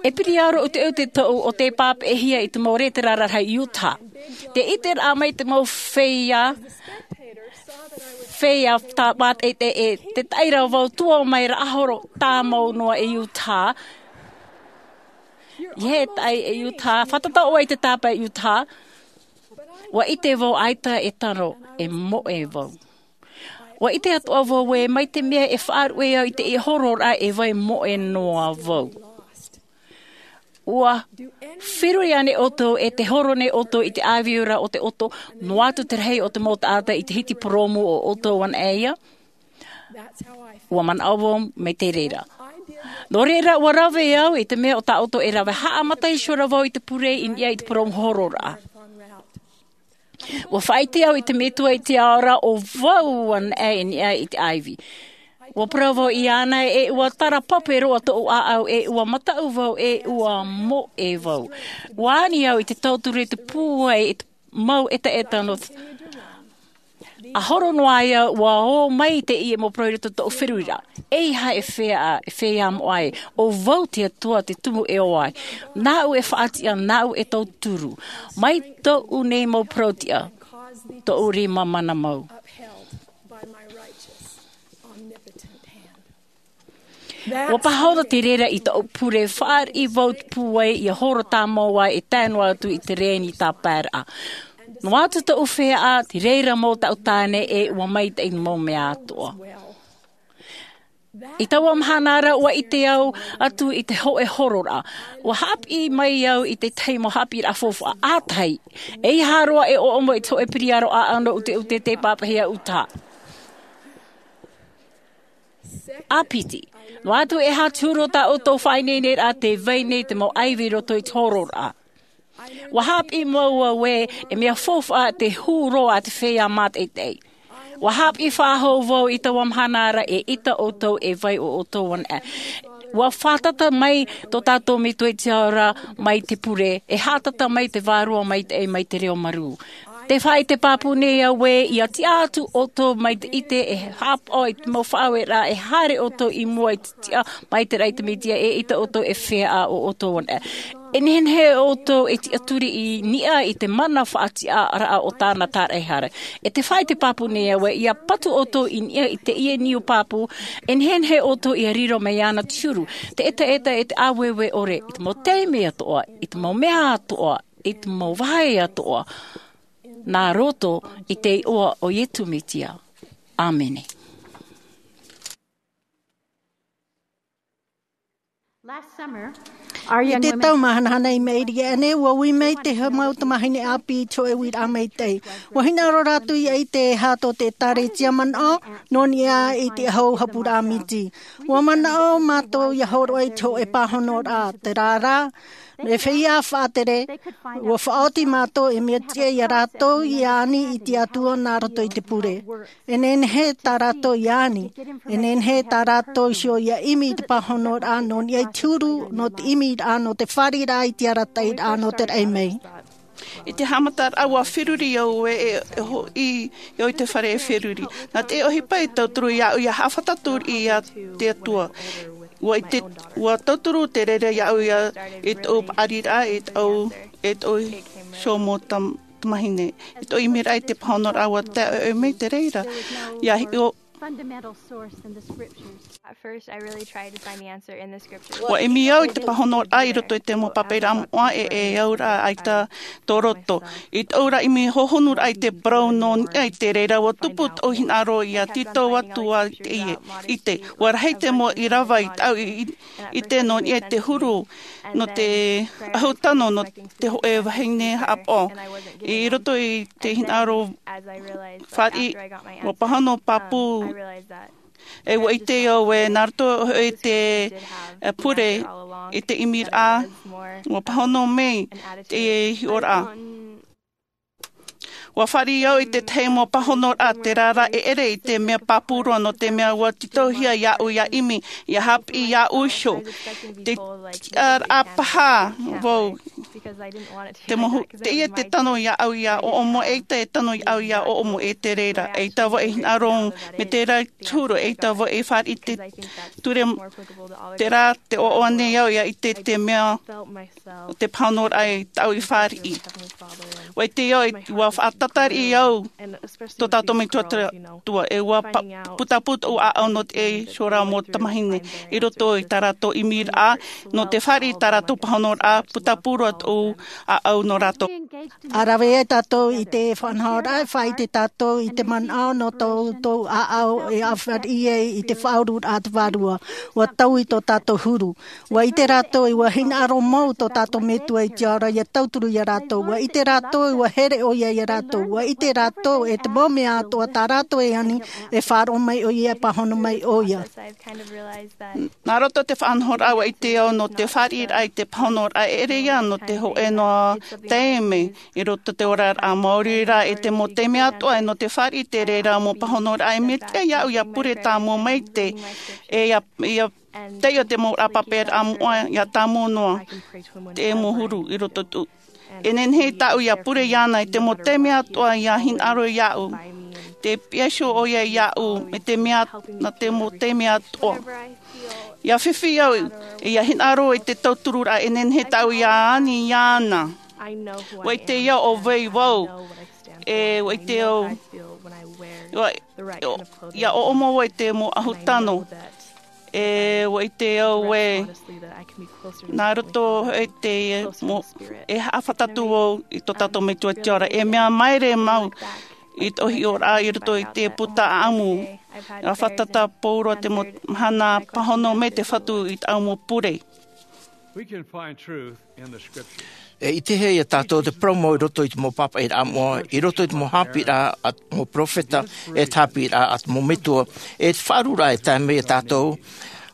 E piriaoro ʻuteʻute tōʻu ʻo tē pāpaʻihia i te mau rētera rarahi i Utah. Tē ʻiteraʻa mai te mau feiā, feiā tā mātaʻitaʻi ē, te taʻi ra vau tuō mai raʻahoro tāmau noa i Utah. ʻIa taʻi i Utah, fātata ʻoe i te tāpae i Utah. ʻUa ʻite vau ʻaita e tano, e moʻe vau. ʻUa ʻite atoʻa vau ē, mai te mea e faʻaruʻe au i teie hōroʻaraʻa e vai moʻe noa vau. ʻUa feruri ānei ʻoutou, e tē horo nei ʻoutou i te ʻāiviuraʻa o te ʻoto, noa atu te rahi o te mau taʻata i te hiti purōmu ʻo ʻoutou anaʻe ia? ʻUa manaʻo vau mai te reira. Nō reira, ʻua rave au i te mea ʻo tā ʻoutou e rave, haʻamata iho ra vau i te pure i niʻa i te purōmu hōroʻaraʻa. ʻUa faʻaʻite au i te Metua i te ao ra, ʻo vau anaʻe i niʻa i te ʻaivi. ʻUa parau vau iāna ē ʻua tara pape roa tōʻu ʻāʻau, ʻe ʻua mataʻu vau, ʻe ʻua moʻe vau. ʻUa ani au i te tauturu i te pūai i te mau ʻetaʻeta nō te ʻa horo noa ai au, ʻua ō mai teie mau parau i roto i tōʻu feruriraʻa. ʻEiaha e feiā, e feiā moʻa ē, ʻo vau te Atua te tumu e ō ai. Nāʻu e faʻatiʻa, nāʻu e tauturu. Mai tōʻu nei mau parau tiʻa, tōʻu rima mana mau. ʻUa pāhono te reira i tōʻu pure, fāriʻi vau te pūai ʻia horo tāmau ai e tae noa atu i te reni tāpaeraʻa. Noa atu tōʻu feiā, te reira mau taʻu tāne ʻe ʻua maitaʻi mau mea atoʻa. I taua mahana ra, ua ʻite au atu i te hōʻē hororaʻa. Ua haʻapiʻi mai au i te tahi mau haʻapiʻiraʻa faufaʻa ʻātahi. E ʻeiaha roa e ʻoʻomo i te hōʻē piriaro ʻāʻau nō ʻuteʻute tei pāpaʻihia ʻutaʻa. ʻĀpiti, noa atu e aha te huru o tā ʻoutou faʻaineineraʻa tē vai nei te mau ʻaivi i roto i te hororaʻa. Ua haʻapiʻi mau au ē, e mea faufaʻa te huru a te feiā mātaʻitaʻi. Ua haʻapiʻi faʻahou vau i taua mahana ra e ʻita ʻoutou e vai ʻo ʻoutou anaʻe. Ua fātata mai tō tātou Metua i te ao ra mai te pure, e haʻatata mai te Vārua Maitaʻi mai te reo marū. Tē faʻaʻite pāpū nei au ē, ʻia tiʻa atu ʻoutou mai te ʻite e haʻapaʻo i te mau faʻaueraʻa, e haere ʻoutou i mua i te tiʻa mai te raʻi te Mesia, e ʻita ʻoutou e feiā ʻo ʻoutou anaʻe. E nehenehe ʻoutou e tiʻaturi i niʻa i te mana faʻatiʻaraʻa o tāna tāraʻehara. E tē faʻaʻite pāpū nei au ē, ʻia patu ʻoutou i niʻa i teie niu pāpū, e nehenehe ʻoutou ʻia riro mai iāna te huru, te ʻetaʻeta e te ʻāueue ʻore, i te mau taime atoʻa, i te mau mea atoʻa, i te mau vāhi atoʻa, nā roto i te iʻoa o Iesu Mesia. ʻĀmene. I te tau māhanahana i maʻiri aʻe nei, ua ui mai te mau tamāhine ʻāpī i te hōʻē uiraʻa maitaʻi. Ua hinaʻaro rātou ʻia ʻite e aha tō te ʻĒkālesia manaʻo, nō niʻa i te ʻahu hapuraʻa miti. Ua manaʻo mātou ʻia hōroʻa i te hōʻē pāhonoraʻa, terā rā, e feiā faʻatere, ua faʻaoti mātou e mea tiʻa ia rātou ʻia ani i te Atua nā roto i te pure. E nehenehe tā rātou ʻia ani, e nehenehe tā rātou iho ʻia ʻimi i te pāhonoraʻa nō niʻa i te huru, nō te ʻimiraʻa, nō te fāriʻiraʻa i te arataʻiraʻa nō te raʻi mai. I te haʻamataraʻa, ua feruri au ē, e, e hoʻi au i te fare e feruri. Nā te ʻohipa i tauturu iāʻu ʻia haʻafātata i te Atua. Ua i te, ua tauturu te reira iāʻu ʻia, i tōʻu paʻariraʻa, i tōʻu, i tōʻu iho mau tam-, tamāhine, i tōʻu ʻimiraʻa i te pāhonoraʻa, ua tae ʻoe mai te reira. ʻIa hiʻo, fundamental source in the scriptures. At first, I really tried to find the answer in the scriptures. Ua ʻimi au i te pāhonoraʻa i roto i te mau pāpaʻiraʻa moʻa e, e au ra ʻaita tō roto. I tōʻu ra ʻimi hohonuraʻa i te parau nō niʻa i te reira, ua tupu tōʻu hinaʻaro ʻia tītau atu ā teie. ʻIte, ua rahi te mau ʻīrava i tāʻu i, i, ʻite nō niʻa i te huru, nō te ʻahu tano, nō te hōʻē vahine haʻapaʻo. I roto i te hinaʻaro fāriʻi, ua pāhono pāpū. E ua ʻite au ē, nā roto i te, e, pure, i te ʻimiraʻa, ua pāhono mai te hiʻoraʻa. Ua fāriʻi au i te tahi mau pāhonoraʻa, terā rā, e ʻere i te mea pāpū roa, nō te mea ua tītauhia iāʻu ʻia ʻimi, ʻia haʻapiʻi iāʻu iho. Te tiʻaraʻa paha vau. Te mohu, teie te tano iāʻu ʻia ʻoʻomo, ʻeita e tano iāʻu ʻia ʻoʻomo e te reira. ʻEita vau e hinaʻaro mai terā te huru, ʻeita vau e fāriʻi te ture, terā te ʻoaʻoa nei au ʻia ʻite te mea o te pāhonoraʻa i tāʻu i fāriʻi. Ua ʻite au, ua faʻatatari au tō tātou Metua Atua, e ua pa-, putapū tōʻu ʻāʻau nō te iho ra mau tamāhine i roto i tā rātou ʻimiraʻa, nō te fāriʻi i tā rātou pāhonoraʻa, putapū roa tōʻu ʻāʻau nō rātou. ʻA rave ai tātou i te faʻanahoraʻa, e faʻaʻite tātou i te manaʻo nō tō, tō ʻāʻau e fāriʻi ai i te faʻaururaʻa a te Vārua. Ua taui tō tātou huru. Ua ʻite rātou, ʻua hinaʻaro mau tō tātou Metua i te ao ra ʻia tauturu ia rātou. Ua ʻite rātou, ʻua here ʻoia ia rātou. Ua ʻite rātou, e te mau mea atoʻa tā rātou e ani, e faʻaroʻo mai ʻoia, e pāhono mai ʻoia. Nā roto i te faʻanahoraʻa, ʻua ʻite au nō te fāriʻiraʻa i te pāhonoraʻa, e ʻere ïa nō te hōʻē noa taime i roto i te oraraʻa maori ra, e te mau taime atoʻa, e nō te fāriʻi i te reira mau pāhonoraʻa, e mea tiʻa iāʻu ʻia pure tāmau mai te, e ʻia, ʻia taiʻo te mau ʻāpaperaʻa moʻa, ʻia tāmau noa te mau huru i roto i tō E nehenehe tāʻu ʻia pure iāna i te mau taime atoʻa, ʻia hinaʻaro iāʻu. Tē pihaʻi iho ʻoia iāʻu, mai te mea, nā te mau taime atoʻa. ʻIa fifi au, ʻia hinaʻaro i te tautururaʻa, e nehenehe tāʻu ʻia ani iāna. ʻUa ʻite au ʻo vai vau, e ʻua ʻite au, ʻua, ʻia ʻoʻomo vau i te mau ʻahu tano. E ʻua ʻite au ē, nā roto i te, mo-, e haʻafātata atu vau i tō tātou Metua i te ao ra. E mea māere mau i tō hiʻoraʻa i roto i te puta ʻāʻamu. A fātata pauroa te mau mahana pāhono mai te Fatu i tāʻu mau pure. We can find truth in the scriptures. E ʻitehia ia tātou te parau mau i roto i te mau pāpaʻiraʻa moʻa, i roto i te mau haʻapiʻiraʻa a te mau peropheta, e te haʻapiʻiraʻa a te mau metua, e te faʻaruaraʻa e tae mai ia tātou,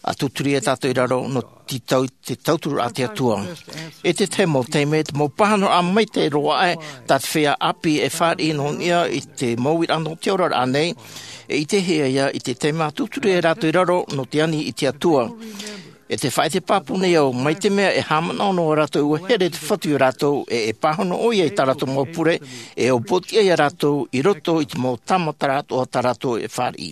a tūturi ia tātou i raro nō te tau-, te tauturu a te Atua. E te tahi mau taime, te mau pāhonoraʻa maitaʻi roa aʻe, tā te feiā ʻāpī e fāriʻi nō niʻa i te mau uiraʻa nō te oraraʻa nei, e ʻitehia ia i te taime a tūturi ia rātou i raro nō te ani i te Atua. E te faʻaʻite pāpū nei au, mai te mea e haʻamanaʻo noa rātou ʻua here te Fatu ia rātou, e, e pāhono ʻoia i tā rātou mau pure, e upoʻotiʻa ia rātou i roto i te mau tāmataraʻa atoʻa tā rātou e fāriʻi.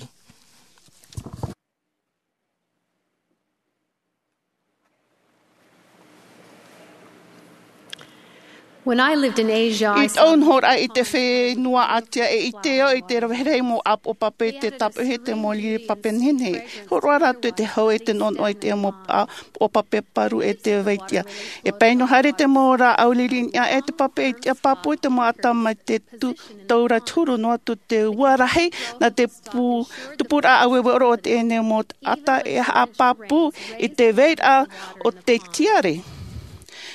When I lived in Asia, I I saw tāʻu nohoraʻa i te fenua ʻĀtia, e ʻite au i te rave rahi mau ʻāpoʻo pape i te tāpeʻa i te mau riri pape nehenehe. Hōroʻa rātou i te hau e te noʻonoʻo i te mau ʻāpoʻo pape pāruru e te vaitia. E pae noa haere te mau rāʻau riri niʻa e te pape i te pāpū i te mau ata mai te tū-, taura te huru noa atu te ua rahi, nā te pū-, tupuraʻa ʻāueue ʻore o teie nei mau ata e haʻapāpū i te vairaʻa o te tiare.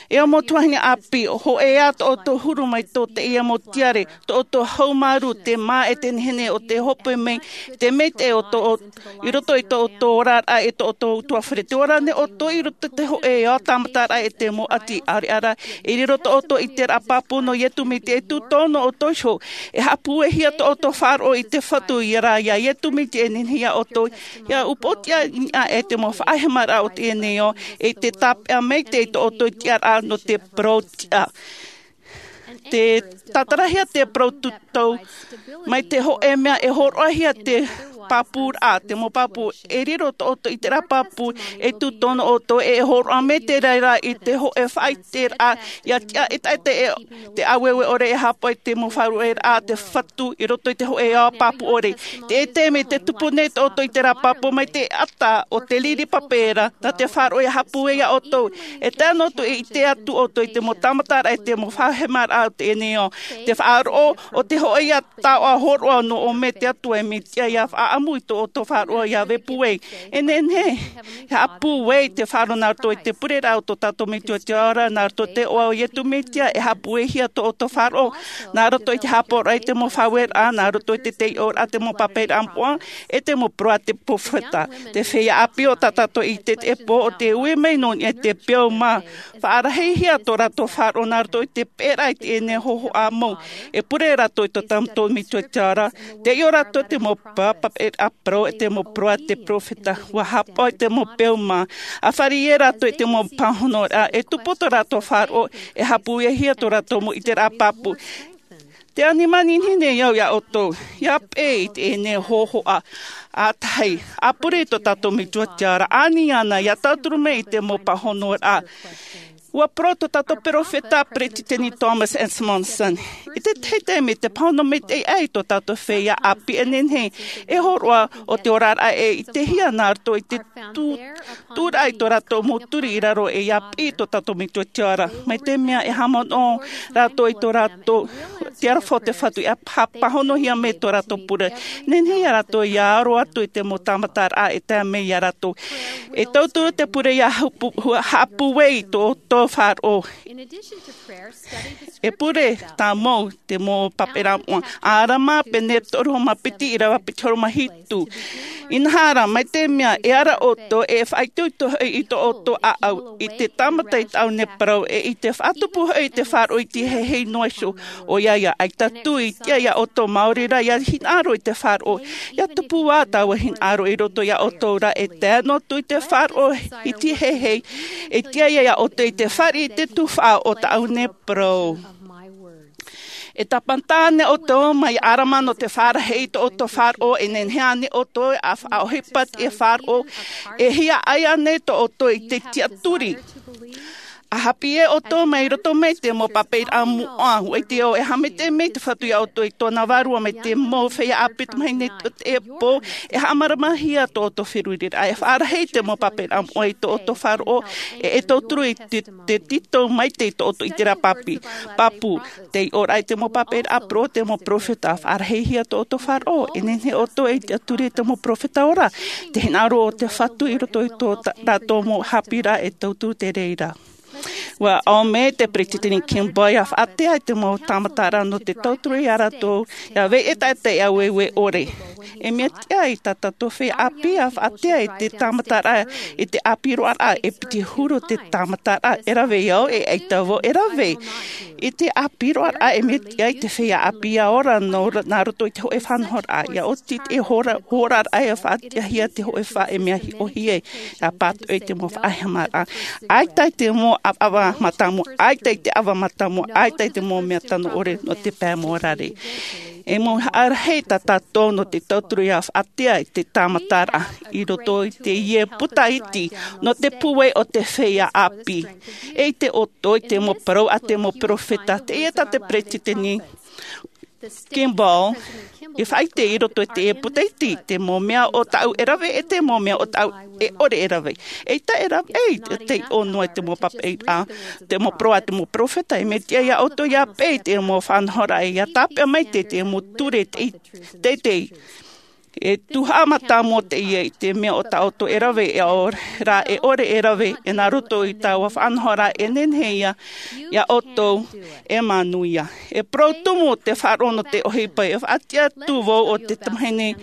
E au mau tuahine ʻāpī, hōʻē ā tō ʻoutou huru mai tō teie mau tiare, tō ʻoutou haumārū, te mā e te nehenehe o te hope mai, te maitaʻi o tō, i roto i tō ʻoutou oraraʻa e tō ʻoutou ʻutuāfare. Te ora nei ʻoutou i roto i te hōʻē ao tāmataraʻa e te mau ʻati ʻāreʻa ra, e riro tō ʻoutou ʻiteraʻa pāpū nō Iesu Mesia e tū tō nō ʻoutou iho. E haʻapūaihia tō ʻoutou faʻaroʻo i te Fatu ia rā, ia Iesu Mesia e nehenehe ia ʻoutou, ia upoʻotiʻa i niʻa e te mau faʻahemaraʻa o teie nei ao, e te tāpeʻa maitaʻi tō ʻoutou tiʻaraʻa nō te parau tiʻa. Te tātarahia te parau tūtau, mai te hōʻē mea e hōroʻahia te pāpūraʻa, te mau pāpū, e riro tō ʻoutou ʻiteraʻa pāpū, e tū tō nō ʻoutou, e hōroʻa mai te reira i te hōʻē faʻaʻiteraʻa, ia tiʻa e taʻata e te ʻāueue ʻore e haʻapaʻo i te mau faʻaruaraʻa a te Fatu i roto i te hōʻē ao pāpū ʻore. Te ʻite mai te tupu nei tō ʻoutou ʻiteraʻa pāpū mai te ata o te riri pape ra, nā te faʻaroʻo ia haʻapūai ia ʻoutou. E tae noa atu e ʻite atu ʻoutou i te mau tāmataraʻa e te mau faʻahemaraʻa o teie nei ao. Te faʻaroʻo o te hōʻē ia taoʻa hōroʻa nō ʻō mai te Atua e Mesia ia faʻaʻamu i tō ʻoutou faʻaroʻo ia vepūai. E nehenehe, e haʻapūai te faʻaroʻo nā roto i te pureraʻa o tō tātou Metua i te ao ra, nā roto i te iʻoa o Iesu Mesia, e haʻapūaihia tō ʻoutou faʻaroʻo, nā roto i te haʻapaʻoraʻa i te mau faʻaueraʻa, nā roto i te taiʻoraʻa te mau papaʻiraʻa moʻa, e te mau parau a te peropheta. Te feiā ʻāpī, o tā tātou i teie pō, ʻo tē ui mai nō niʻa i te peu mā. Faʻarahihia tō rātou faʻaroʻo nā roto i te peʻeraʻa i teie nei hōhoʻa mau. E pure rātou i tō tātou Metua i te ao ra, taiʻo rātou te mau papaʻiraʻa parau, e te mau parau a te peropheta, ʻua haʻapaʻo i te mau peu mā. ʻA fāriʻi rātou i te mau pāhonoraʻa, e tupu tō rātou faʻaroʻo, e haʻapūaihia tō rātou mau ʻiteraʻa pāpū. Tē ani manihini nei au ia ʻoutou, ia peʻe i teie nei hōhoʻa ʻātahi, ʻa pure i tō tātou Metua i te ao ra, ani ana ia tauturu mai i te mau pāhonoraʻa. ʻUa parau tō tātou peropheta, Peresideni Thomas S. Monson, i te tahi taime te pāhono maitaʻi aʻe i tō tātou feiā ʻāpī e nehenehe e hōroʻa o te oraraʻa e ʻitehia nā roto i te tū-, tūraʻa i tō rātou mau turi i raro e ia piʻi i tō tātou Metua i te ao ra. Mai te mea e haʻamanaʻo rātou i tō rātou, te aroha o te Fatu, e haʻapāhonohia mai tō rātou pure. Nehenehe ia rātou ia aro atu i te mau tāmataraʻa e tae mai ia rātou. E tauturu te pure ia haʻapu-, hua-, haʻapūai i tō, tō faʻaroʻo. E pure tāmau te mau papaʻiraʻa moʻa. ʻĀrama, pene toru hōʻē mā piti, ʻīrava piti hōʻē mā hitu. Inaha rā, mai te mea e ara ʻoutou, e faʻaitoito hoʻi i tō ʻoutou ʻāʻau, i te tāmata i tāʻu nei parau, e i te faʻatupu hoʻi i te faʻaroʻo iti heihei noa iho, ʻoia ia, ʻaita tū i tiʻa ia ʻoutou, maori rā ia hinaʻaro i te faʻaroʻo, ia tupu ā taua hinaʻaro i roto ia ʻoutou ra, e tae noa atu i te faʻaroʻo iti heihei, e tiʻa ia ʻoutou i te fāriʻi i te tuhaʻa o tāʻu nei parau. E tāpati ānei ʻoutou mai ʻĀrama nō te fārahi i tō ʻoutou faʻaroʻo, e nehenehe ānei ʻoutou ʻa faʻaʻohipa i te faʻaroʻo, e hiaʻai ānei tō ʻoutou i te tiʻaturi? ʻA hāpiʻi ʻoutou mai roto mai te mau pāpaʻiraʻa moʻa, ʻua ʻite ʻoe e haʻamaitaʻi mai te Fatu iā ʻoutou i tōna vārua mai te mau feiā ʻāpī tamahine i teie pō. E haʻamāramaʻihia tō ʻoutou feruriraʻa, e faʻarahi te mau pāpaʻiraʻa moʻa i tō ʻoutou faʻaroʻo, e e tauturu i te, te tītau maitaʻi i tō ʻoutou ʻiteraʻa pāpū. Pāpū, te iʻoraʻa i te mau pāpaʻiraʻa parau, te mau peropheta, faʻarahihia tō ʻoutou faʻaroʻo, e nehenehe ʻoutou e tiʻaturi i te mau peropheta ora, te hinaʻaro o te Fatu i roto i tō ta-, rātou mau haʻapiʻiraʻa e tauturu te reira. ʻUa ʻō mai te Peresideni Kimball, ʻia faʻatea i te mau tāmataraʻa nō te tauturu iā rātou, ʻia vai ʻetaʻeta i ʻāueue ʻore. E mea tiʻa i tā tātou feiā ʻāpī ʻia faʻatea i te tāmataraʻa, i te ʻāpī roaraʻa, e piti huru te tāmataraʻa e rave iāʻu, e ʻaita vau e rave. I te ʻāpī roaraʻa, e mea tiʻa i te feiā ʻāpī ʻia ora nō, nā roto i te hōʻē faʻanahoraʻa, ʻia oti te hora, horaraʻa ʻia faʻatiʻahia te hōʻē faʻaʻohipa e mea hiʻohia, ʻia pātoʻi te mau faʻaheamaraʻa. ʻAita i te mau ʻava, ʻava mātāmua, ʻaita i te ʻava mātāmua, ʻaita i te mau mea tano ʻore nō te pae mōrare. E mau haʻarahi tā tātou nō te tauturu ʻia faʻatea i te tāmataraʻa i roto i teie puta iti nō te pūai o te feiā ʻāpī. E ʻite ʻoutou i te mau parau a te mau peropheta, teie tā te Peresideni Kimball i faʻaʻite i roto i teie puta iti, te mau mea o tāʻu e rave, e te mau mea o tāʻu e ʻore e rave. ʻAita e rave, e te, te ʻō noa i te mau pāpaʻiraʻa, te mau parau a te mau peropheta, e mea tiʻa iā ʻoutou ʻia peʻe i te mau faʻanahoraʻa, ʻia tāpeʻa mai te, te mau ture te, te, te, e tuhaʻa mātāmua teie i te mea o tā ʻoutou e rave, e ʻore rā, e ʻore e rave, e nā roto i taua faʻanahoraʻa, e nehenehe ia, iā ʻoutou e manuia. E parau tumu te faʻaroʻo nō te ʻohipa, e faʻatiʻa atu vau o te tamahine,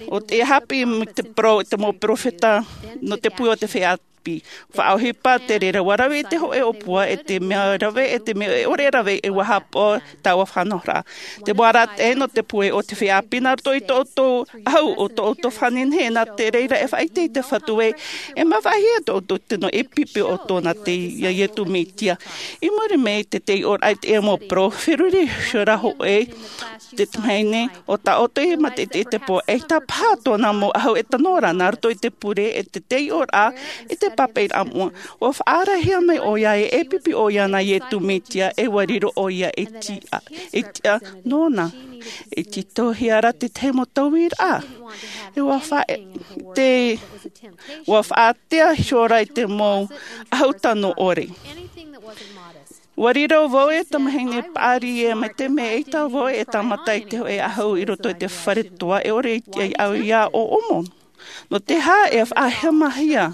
ʻo te hāpiʻi mai te parau, te mau peropheta, nō te pūai o te feiā ʻāpī. Faʻaʻohipa te reira, ʻua rave i te hōʻē ʻōpua, e te mea rave, e te mea e ʻore e rave, e ʻua haʻapaʻo taua faʻanahoraʻa. Te mau arataʻi nō te pūai o te feiā ʻāpī nā roto i tō ʻoutou ʻahu, ʻo tō ʻoutou fānenehe, nā te reira e faʻaʻite i te Fatu ē, e māvaʻehia tō ʻoutou tino e pipi o tōna te, iā Iesu Mesia. I muri mai te, te iʻoraʻa i te mau parau, feruri iho ra hōʻē, te tamahine, ʻo tā ʻoutou i mātaʻitaʻi i te pō, ʻaita paha tōna mau ʻahu e tano ra, nā roto i te pure, e te, te iʻoraʻa, e te pāpaʻiraʻa moʻa. ʻUa faʻarahihia mai ʻoia, e, e pipi ʻoia nā Iesu Mesia, e ʻua riro ʻoia e tiʻa, e tiʻa nōna. E tītauhia ra te tahi mau tauiraʻa. E ʻua fa-, te, ʻua faʻatea iho ra i te mau ʻahu tano ʻore. ʻUa riro vau e tamahine paʻari ē, mai te mea ʻaita vau e tāmata i te hōʻē ʻahu i roto i te fare toa, e ʻore i te ʻāʻau iā ʻōʻomo. Nō te aha e faʻahemahia?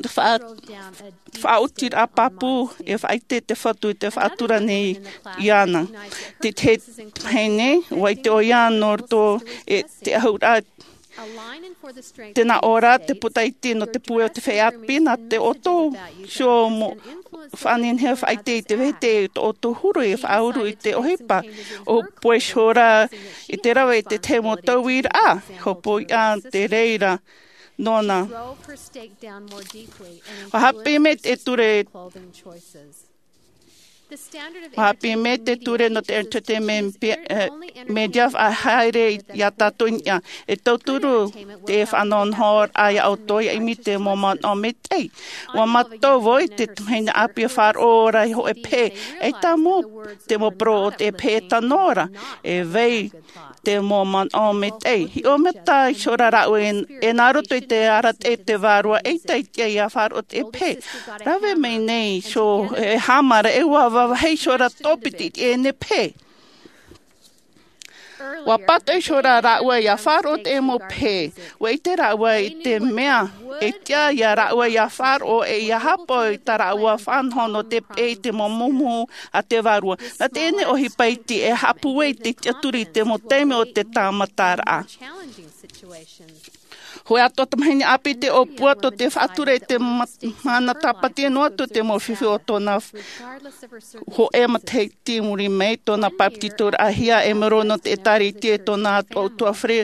Te faʻa-, faʻaotiraʻa pāpū, e faʻaʻite te Fatu i te faʻatura nei iāna. Te, te tamahine, ʻua ʻite ʻoia nō roto i te ʻahuraʻa, tē nā ʻō ra te puta iti nō te pūai o te feiā ʻāpī, nā tō ʻoutou iho mau fānenehe faʻaʻite i te vehete i tō ʻoutou huru e faʻauru i te ʻohipa. ʻUa pohe iho ra i te rave i te tahi mau tauiraʻa, hopoiʻa te reira nōna. ʻUa hāpiʻi mai te ture, ʻua hāpiʻi mai te ture nō te entertainment, eh, media faʻahaere iā tātou i niʻa. E tauturu te faʻanahonahoraʻa iā ʻoutou, ʻia ʻimi te mau manaʻo maitaʻi. ʻUa mātau vau i te tamahine ʻāpī e faʻaroʻo ra i hōʻē pehe, ʻaita mau te mau parau o te pehe e tano ra, e vai te mau manaʻo maitaʻi. Hiʻo mata iho ra rāua e, e nā roto i te arataʻi o te Vārua, ʻaita i tiʻa ʻia faʻaroʻo te pehe. Rave mai nei iho e haʻamāramarama, e ʻua vāvāhi iho ra tō piti i teie pehe. ʻUa pātoʻi iho ra rāua ʻia faʻaroʻo te mau pehe. ʻUa ʻite rāua i te mea e tiʻa iā rāua ʻia faʻaroʻo, e ʻia haʻapaʻo i tā rāua faʻanaho nō te peʻe i te mau mumuhu a te Vārua. Nā teie nei ʻohipa iti e haʻapūai i te tiʻaturi i te mau taime o te tāmataraʻa. Hōʻē atoʻa tamahine ʻāpī te ʻōpua tō te faʻatura i te ma-, mana tāpati noa atu te mau fifi o tōna f-, hōʻē matahiti i muri mai tōna bāpetizoraʻahia e maoro nō te ʻĒtārētia e tōna ʻutuāfare.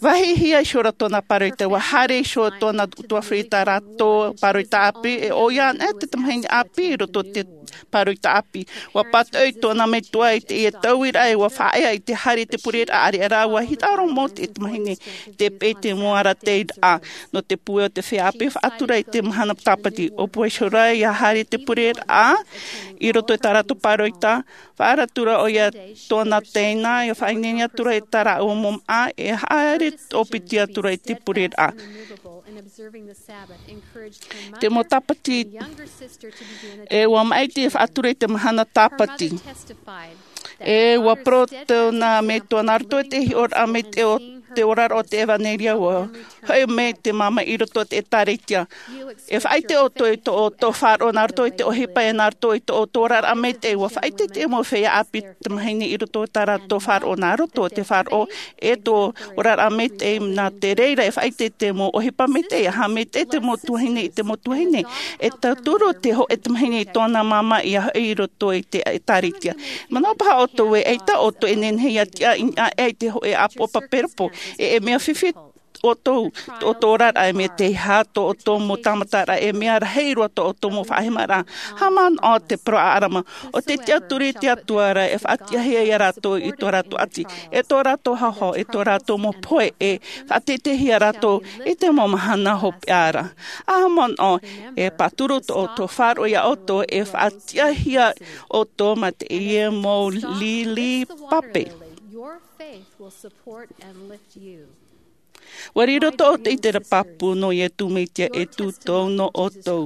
Vāhihia iho ra tōna pāroita, ʻua haere iho tōna ʻutuāfare i tā rātou pāroita ʻāpī, e ʻoia anaʻe te tamahine ʻāpī i roto i te pāroita ʻāpī. ʻUa pātoʻi tōna metua i teie tauiraʻa, e ʻua faʻaea i te haere i te pureraʻa, ʻareʻa rā ʻua hinaʻaro mau te tamahine i te peʻe i te mau ara teitei raʻa nō te pūai o te feiā ʻāpī, faʻatura i te mahana tāpati. ʻO pūai iho ra ia haere te pureraʻa i roto i tā rātou pāroita, faʻatura ʻoia tōna teina, ia faʻaineine atura i tā rāua mau māʻa, e haere ʻōpiti atura i te pureraʻa. Te mau tāpati, e ʻua maʻiti e faʻatura i te mahana tāpati. E ʻua parau tōna metua nā roto i te hiʻoraʻa maitaʻi o te oraraʻa o te ʻevanelia, ʻua hoʻi mai te māmā i roto i te ʻĒtārētia. E faʻaʻite ʻoutou i tō ʻoutou faʻaroʻo nā roto i te ʻohipa, e nā roto i tō ʻoutou oraraʻa maitaʻi. ʻUa faʻaʻite te mau feiā ʻāpī tamahine i roto i tā rātou faʻaroʻo nā roto i te faʻaroʻo e tō oraraʻa maitaʻi. Nā te reira e faʻaʻite te mau ʻohipa maitaʻi, e aha maitaʻi te mau tuahine i te mau tuahine. E tauturu te hōʻē tamahine i tōna māmā ʻia hoʻi i roto i te ʻĒtārētia. Manaʻo paha ʻoutou ē, ʻaita ʻoutou e nehenehe ʻia tiʻa i niʻa aʻe i te hōʻē ʻāpoʻo pape rōpū. E, e mea fifi ʻoutou, tō ʻoutou oraraʻa, e mea teiaha tō ʻoutou mau tāmataraʻa, e mea rahi roa tō ʻoutou mau faʻahemaraʻa. Haʻamanaʻo te parau a ʻĀrama, ʻo tē tiʻaturi i te Atua ra, e faʻatiʻahia ia rātou i tō rātou ʻati, e tō rātou haohaoa, e tō rātou mau pohe, e faʻateiteihia rātou i te mau mahana hopeʻa ra. Haʻamanaʻo, e pāturu tō ʻoutou faʻaroʻo ia ʻoutou, e faʻatiʻahia ʻoutou mā teie mau lili pape. Your faith will support and lift you. ʻUa riro tō ʻoutou ʻiteraʻa pāpū nō Iesu Mesia e tūtau nō ʻoutou.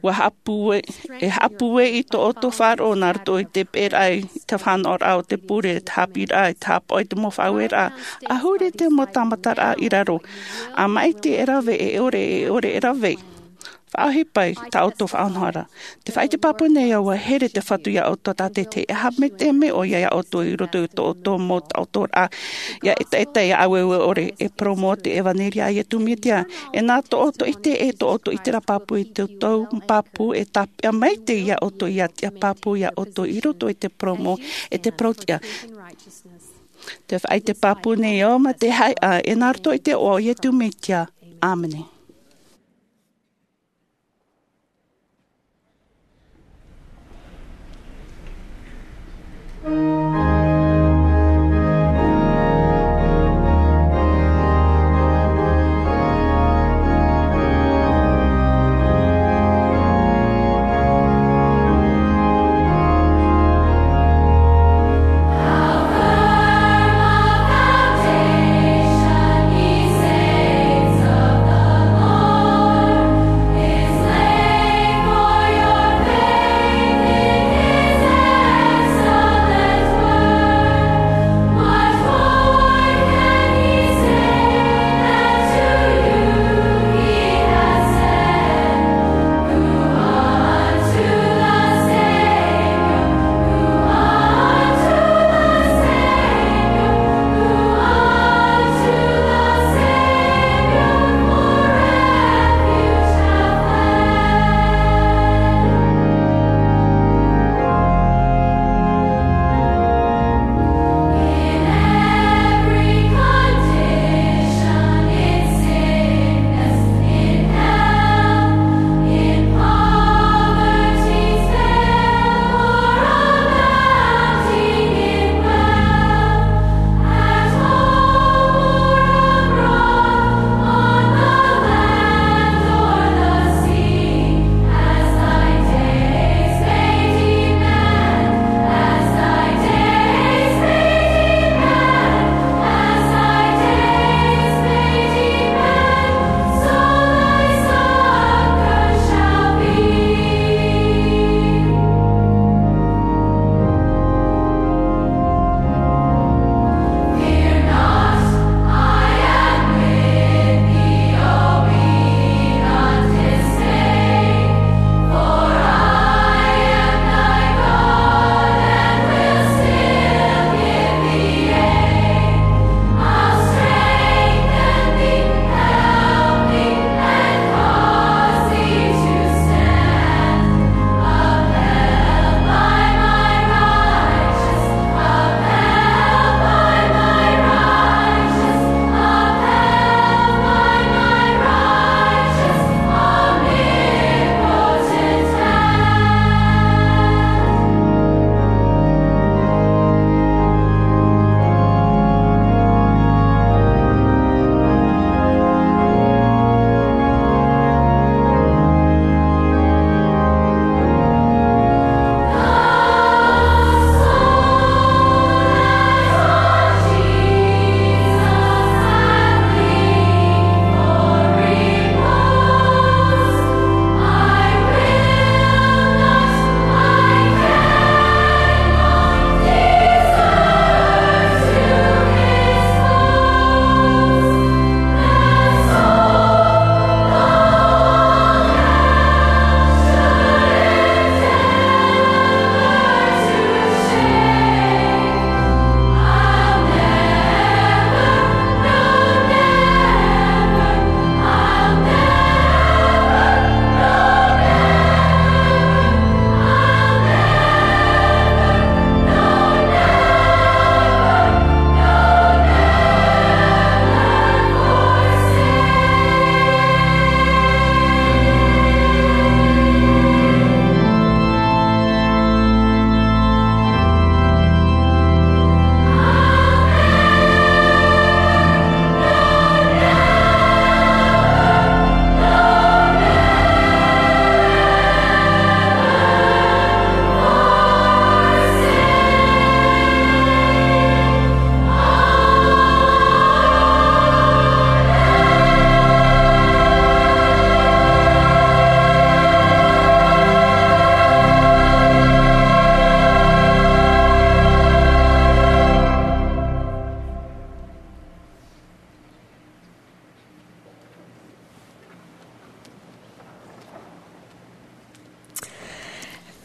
ʻUa haʻapūai, e haʻapūai i tō ʻoutou faʻaroʻo nā roto i te peʻeraʻa i te fānaʻoraʻa o te pure, te haʻapiʻiraʻa, te haʻapaʻo i te mau faʻaueraʻa, ʻahuru te mau tāmataraʻa i raro. ʻA maʻiti e rave, e ʻore, e ʻore e rave. Faʻaʻohipa i tā ʻoutou faʻanahoraʻa. Tē faʻaʻite pāpū nei au, ʻua here te Fatu ia ʻoutou tātaʻitahi, e aha maitaʻi te mea ʻoia ia ʻoutou i roto i tō ʻoutou mau taʻotoraʻa, ʻia ʻetaʻeta, ʻia ʻāueue ʻore, e parau mau te ʻevanelia a Iesu Mesia. E nā tō ʻoutou ʻite, e tō ʻoutou ʻiteraʻa pāpū i te tau pāpū, e tāpeʻa maitaʻi ia ʻoutou ʻia tiʻa pāpū ia ʻoutou i roto i te parau mau, e te parau tiʻa. Tē faʻaʻite pāpū nei au mā te haʻehaʻa, e nā roto i te iʻoa o Iesu Mesia. ʻĀmene.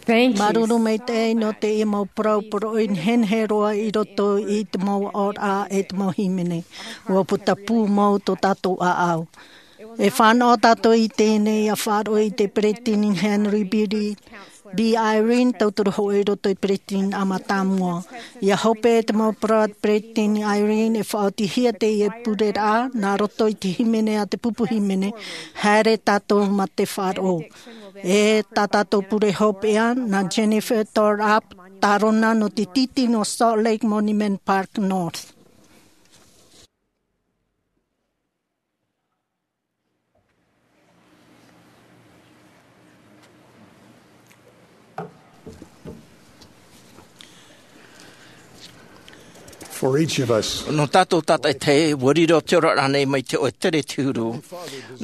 Māuruuru maitaʻi nō teie mau parau poroʻi nehenehe roa i roto i te mau aʻoraʻa e te mau hīmene. Ua puta pū mau tō tātou ʻāʻau. E fānaʻo tātou i teie nei ʻia faʻaroʻo i te peresideni Henry B. Eyring, tauturu hoʻi i roto i te peresideni mātāmua. ʻIa hope te mau parau a te peresideni Eyring e faʻaotihia teie pureraʻa nā roto i te hīmene a te pupu hīmene, Haere Tātou mā te Faʻaroʻo. E tā tātou pure hopeʻa nā Jennifer Thorpe, tārona nō te tītī nō Salt Lake Monument Park North. For each of us, nō tātou tātaʻitahi, ua riro te oraraʻa nei mai te hōʻē tere te huru.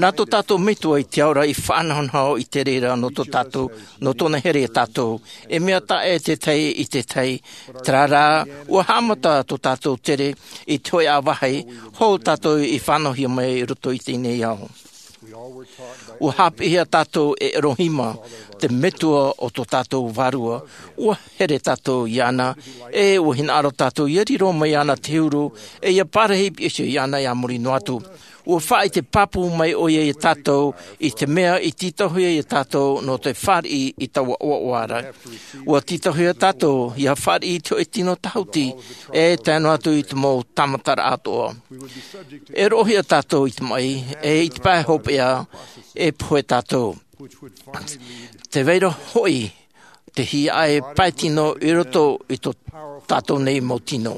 Nā tō tātou Metua i te Ao ra i faʻanahonaho i te reira nō tō tātou, nō tōna here iā tātou. E mea taʻa ʻē te tahi i te tahi, terā rā, ua haʻamata tō tātou tere i te hōʻē ʻāvahi, hou tātou i fānauhia mai i roto i teie nei ao. Ua haʻapiʻihia tātou e Elohima, te Metua o tō tātou Vārua. Ua here tātou iāna, e ua hinaʻaro tātou ʻia riro mai iāna te huru, e ʻia parahi i piha iho iāna e a muri noa atu. Ua faʻaʻite pāpū mai ʻoia iā tātou i te mea i tītauhia iā tātou nō te fāriʻi i taua ʻoaʻoa ra. Ua tītauhia tātou ʻia fāriʻi i te hōʻē tino tāhuti, e tae noa atu i te mau tāmataraʻa atoʻa. E roʻohia tātou i te maʻi, e i te pae hopeʻa, e pohe tātou. Te vai ra hoʻi te hiaʻai pae tino i roto i tō tātou nei mau tino.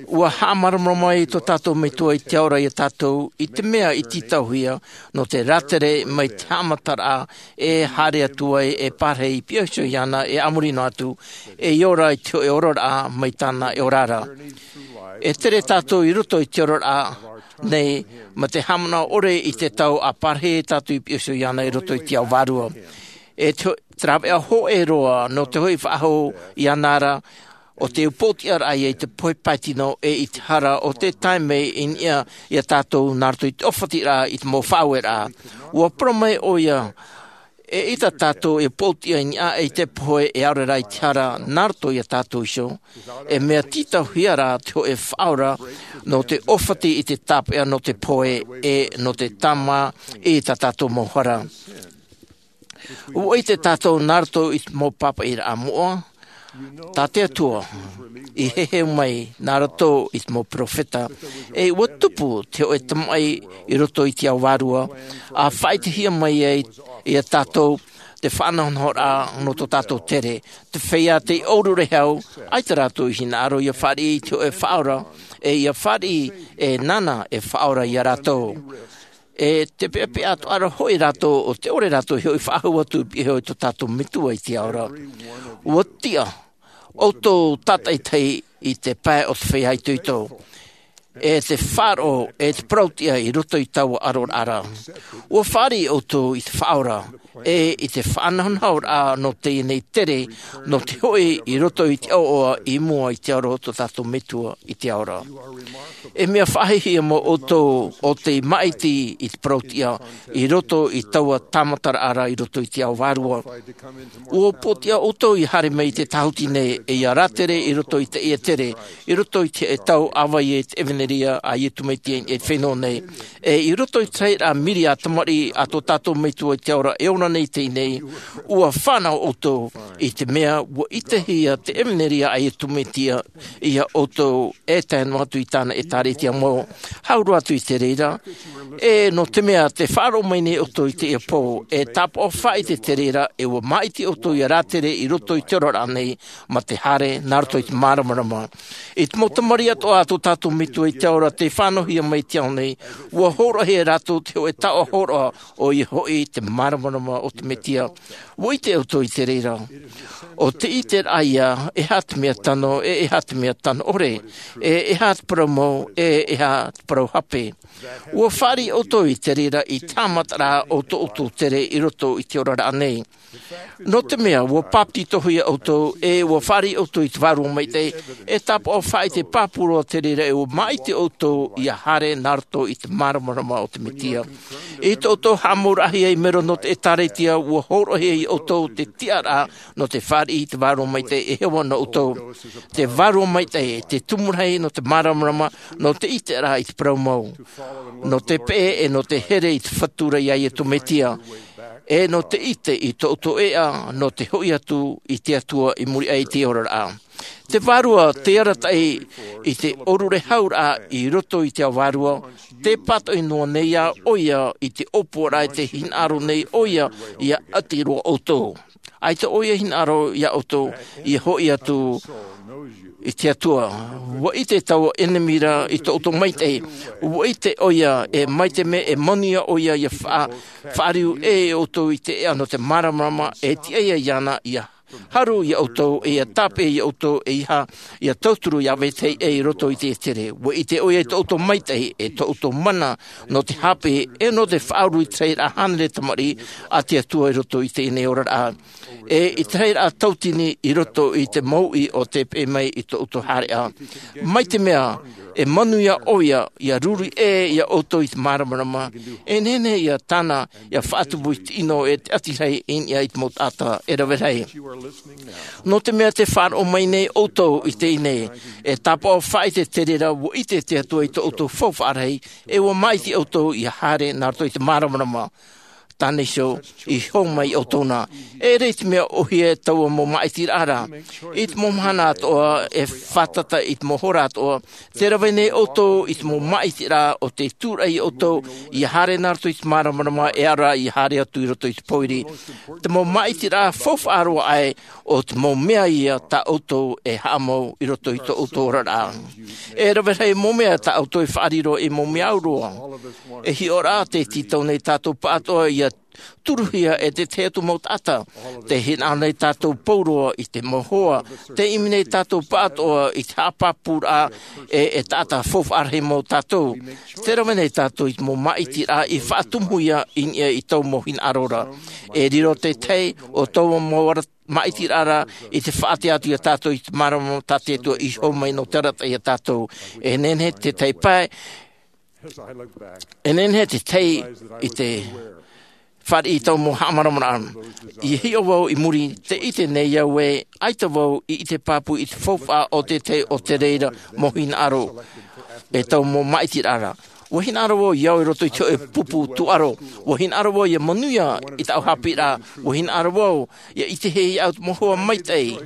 Ua haʻamāramarama mai tō tātou Metua i te Ao ra iā tātou i te mea i tītauhia nō te rātere mai te haʻamataraʻa e haere atu ai e parahi i piha iho iāna e a muri noa atu, e ʻia ora i te hōʻē oraraʻa mai tāna e ora ra. E tere tātou i roto i te oraraʻa nei, mā te haʻamanaʻo ʻore i te tau ʻa parahi tātou i piha iho iāna i roto i te Ao Vārua. E te, te rāveʻa hōʻē roa nō te hoʻi faʻahou iāna ra, ʻo te upoʻotiʻaraʻa ïa i te pohe pae tino e i te hara ʻo tē tae mai i niʻa iā tātou nā roto i te ʻōfatiraʻa i te mau faʻaueraʻa. Ua parau mai ʻoia, eʻita tātou e upoʻotiʻa i niʻa i te pohe e ʻaore rā i te hara nā roto iā tātou iho, e mea tītauhia rā te hōʻē faʻaora nō te ʻōfati i te tāpeʻa nō te pohe e nō te tāmā i tā tātou mau hara. Ua ʻite tātou nā roto i te mau pāpaʻiraʻa moʻa, tā te Atua i heheu mai nā roto i te mau peropheta, e ua tupu te hōʻē tamaʻi i roto i te Ao Vārua, ʻa faʻaʻitehia mai ai iā tātou te faʻanahonahoraʻa nō tō tātou tere, te feiā tei ʻōrurehau, ʻaita rātou i hinaʻaro ʻia fāriʻi i te hōʻē faʻaora, e ʻia fāriʻi e nāna e faʻaora iā rātou. E te peʻapeʻa atoʻa ra hoʻi rātou ʻo te ʻore rātou i hoʻi faʻahou atu i piha iho i tō tātou Metua i te Ao ra. Ua tiʻa ʻoutou tātaʻitahi i te pae o te feiā itoito, e te faʻaroʻo, e te parauʻtiʻa i roto i taua ʻaroraʻa ra. Ua fāriʻi ʻoutou i te faʻaora, e i te faʻanahonahoraʻa nō teie nei tere, nō te hoʻi i roto i te ʻoaʻoa i mua i te Ao ra o tō tātou Metua i te Ao ra. E mea faʻahiahia mau ʻoutou ʻo tei māʻiti i te parauʻtiʻa i roto i taua tāmataraʻa ra i roto i te Ao Vārua. Ua upoʻotiʻa ʻoutou ʻia haere mai i te tāhuti nei, e ʻia rātere i roto i teie tere, i roto i te tau ʻāvaʻe i te ʻevanelia a Iesu Mesia i te fenua nei. E i roto i te tahi ra mīria tamariʻi a tō tātou Metua i te Ao ra e ora nei i teie nei, ua fānaʻo ʻoutou i te mea ua ʻitehia te ʻevanelia a Iesu Mesia iā ʻoutou e tae noa atu i tāna ʻĒtārētia mau. Hau roa atu i te reira, e nō te mea tē faʻaroʻo mai nei ʻoutou i teie pō, e tāpaʻo faʻaʻite i te reira, e ua māʻiti ʻoutou ʻia rātere i roto i te oraraʻa nei, mā te haere nā roto i te māramarama. I te mau tamariʻi atoʻa a tō tātou Metua i te Ao ra tei fānauhia mai i te ao nei, ua hōroʻahia e rātou te hōʻē taoʻa hōroʻa, ʻoia hoʻi te māramarama o te Mesia. Ua ʻite ʻoutou i te reira. ʻO te ʻiteraʻa ïa, e aha te mea tano, e e aha te mea tano ʻore, e e aha te parau mau, e e aha te parau hape. Ua fāriʻi ʻoutou i te reira i te haʻamataraʻa o tō ʻoutou tere i roto i te oraraʻa nei. Nō te mea ua bāpetizohia ʻoutou ʻe ua fāriʻi ʻoutou i te vārua maitaʻi, e tāpaʻo faʻaʻite pāpū roa te reira ʻe ua māʻiti ʻoutou ia haere nā roto i te māramarama o te mesia. I tō ʻoutou haʻamauraʻahia i mero nō te ʻēkālesia, ua hōroʻahia ia ʻoutou te tiʻaraʻa nō te fāriʻi i te vārua maitaʻi e hōroʻa nō ʻoutou. Te vārua maitaʻi te tumu rahi nō te māramarama, nō te ʻiteraʻa i te parau mau, nō te peʻe ʻe nō te here i te fatu ra iā iesu mesia, ʻe nō te ʻite i tō ʻoutou ʻēʻa nō te hoʻi atu i te atua i muri aʻe i te oraraʻa. Te vārua te arataʻi i te ʻōrure hauraʻa i roto i te ao vārua. Te pātoʻi noa nei ā ʻoia i te ʻōpuaraʻa e te hinaʻaro nei ʻoia ia ʻati roa ʻoutou. ʻAita ʻoia hinaʻaro iā ʻoutou ia hoʻi atu i te atua. Ua ʻite taua ʻenemi ra i tō ʻoutou maitaʻi. Ua ʻite ʻoia e mai te mea e manuia ʻoia ia faʻa- faʻariu ʻē ʻoutou i te ʻēʻa nō te māramarama e tiʻa ia iāna ia haru iā ʻoutou ʻe ia tāpeʻa iā ʻoutou ʻe ia tauturu ia vetahi ʻē i roto i te ʻētere. Ua ʻite ʻoia i tō ʻoutou maitaʻi ʻe tō ʻoutou mana nō te hape ʻe nō te faʻauru i te tahi raʻa hānere tamariʻi a te atua i roto i teie nei oraraʻa, ʻe i te tahi raʻa tautini i roto i te mouʻi o te peʻe mai i tō ʻoutou haereʻa. Mai te mea e manuia ʻoia ia ruri ʻē iā ʻoutou i te māramarama, e nehenehe ia tāna ia faʻatupu i te ʻino e te ʻati rahi i niʻa i te mau taʻata e rave rahi. Nō te mea te faʻaroʻo mai nei ʻoutou i teie nei, e tāpaʻo faʻaʻite te reira ua ʻite te atua i tō ʻoutou faufaʻa rahi, ʻe ua māʻiti ʻoutou ia haere nā roto i te māramarama. Tāne iho i hō mai ʻoutou nā. E ʻere i te mea ʻohie taua mau māʻitiraʻa ra. I te mau mahana atoʻa e fātata i te mau hora atoʻa, te rave nei ʻoutou i te mau māʻitiraʻa o te tūraʻi ʻoutou ia haere nā roto i te māramarama ʻe ʻaore rā ia haere atu i roto i te pōiri. Te mau māʻitiraʻa faufaʻa roa aʻe, o te mau mea ia tā ʻoutou e haʻamau i roto i tō ʻoutou oraraʻa. E rave rahi mau mea tā ʻoutou e faʻariro i mau mea au roa. E hiʻo rā te tītau nei tātou pāʻatoʻa ia turuhia e te tahi atu mau taʻata. Te hinaʻaro nei tātou pauroa i te mau hoa. Te ʻimi nei tātou pāʻatoʻa i te haʻapāpūraʻa ʻe e taʻata faufaʻa rahi mau tātou. Te rave nei tātou i te mau māʻitiraʻa i faʻatumuhia i niʻa i taua mau hinaʻaro ra. E riro te tahi o taua mau ara- māʻitiraʻa ra i te faʻaʻite atu iā tātou i te māramarama tā te atua i hō mai nō te arataʻi iā tātou. E nehenehe te tahi pae, e nehenehe te tahi i te fāriʻi i taua mau haʻamāramarama. I hiʻo vau i muri, te ʻite nei au ē ʻaita vau i ʻite pāpū i te faufaʻa o te tahi o te reira mau hinaʻaro e taua mau māʻitiraʻa ra. Ua hinaʻaro vau ia au i roto i te hoʻe pupu tūʻaro. Ua hinaʻaro vau ia manuia i tāʻu haʻapiʻiraʻa. Ua hinaʻaro vau ia ʻitehia au te mau hoa maitaʻi.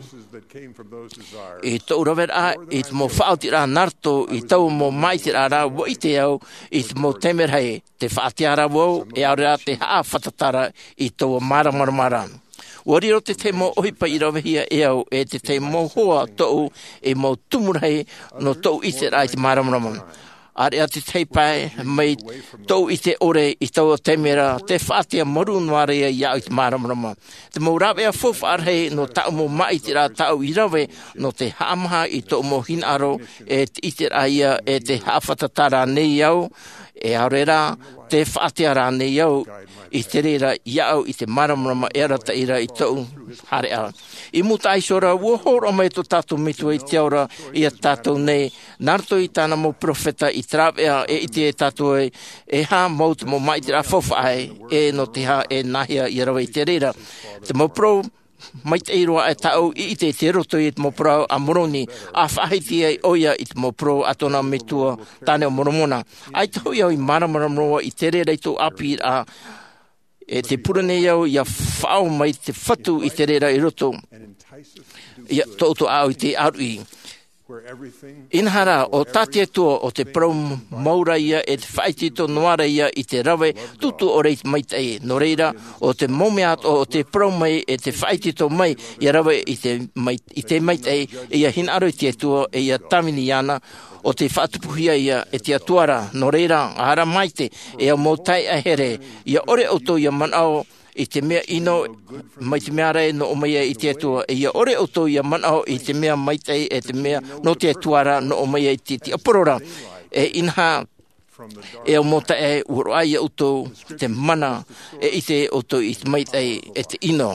I tōʻu raveraʻa i te mau faʻaotiraʻa nā roto i taua mau māʻitiraʻa ra, ua ʻite au i te mau taime rahi te faʻatea ra vau ʻe ʻaore rā te haʻafātata ra i taua māramarama ra. Ua riro te tahi mau ʻohipa i ravehia e au e te tahi mau hoa tōʻu ei mau tumu rahi nō tōʻu ʻiteraʻa i te māramarama. ʻAreʻa te tahi pae mai tōʻu ʻite ʻore i taua taime ra, te faʻatea marū noa ra ia iāʻu i te māramarama. Te mau rāveʻa faufaʻa rahi nō tāʻu mau māʻitiraʻa tāʻu i rave nō te haʻamaha i tōʻu mau hinaʻaro e te ʻiteraʻa ia e te haʻafātata rānei au, ʻe ʻaore rā te faʻatea rānei au i te reira iāʻu i te māramarama e arataʻi ra i tōʻu haereʻa. I mūtaʻa iho ra, ua hōroʻa mai tō tātou Metua i te ao ra iā tātou nei, nā roto i tāna mau peropheta i te rāveʻa e ʻite e tātou ai, e aha mau te mau māʻitiraʻa faufaʻa ē, ʻe nō te aha e nāhea ia rave i te reira. Te mau parau maitaʻi roa aʻe tāʻu i ʻite i te roto i te mau parau a Moroni, a faʻahiti ai ʻoia i te mau parau a tōna metua, Tāne o Moromona. ʻAita hoʻi au i māramarama roa i te reira i tōʻu ʻāpīraʻa, e te pure nei au ia faʻaō mai te fatu i te reira i roto ia tō ʻoutou ʻāʻau i te ʻāruʻi. Inaha rā, ʻo tā te atua ʻo te parau mau ra ia e te faʻaitoito noa ra ia i te rave tūtū ʻore i te maitaʻi. Nō reira, ʻo te mau mea atoʻa ʻo te parau mai e te faʻaitoito mai ia rave i te mai- i te maitaʻi, e ia hinaʻaro i te atua e ia tāvini iāna, ʻo te faʻatupuhia ia e te atua ra. Nō reira, ara maite, e au mau taeaʻe here, ia ʻore ʻoutou ia manaʻo i te mea ʻino mai te mea rahi nō ʻō mai ai i te atua, e ia ʻore ʻoutou ia manaʻo i te mea maitaʻi e te mea nō te atua ra nō ʻō mai ai i te tiaporo ra. E inaha E au mau taeaʻe, ua roaʻa ia ʻoutou te mana e ʻite ʻoutou i te maitaʻi e te ʻino.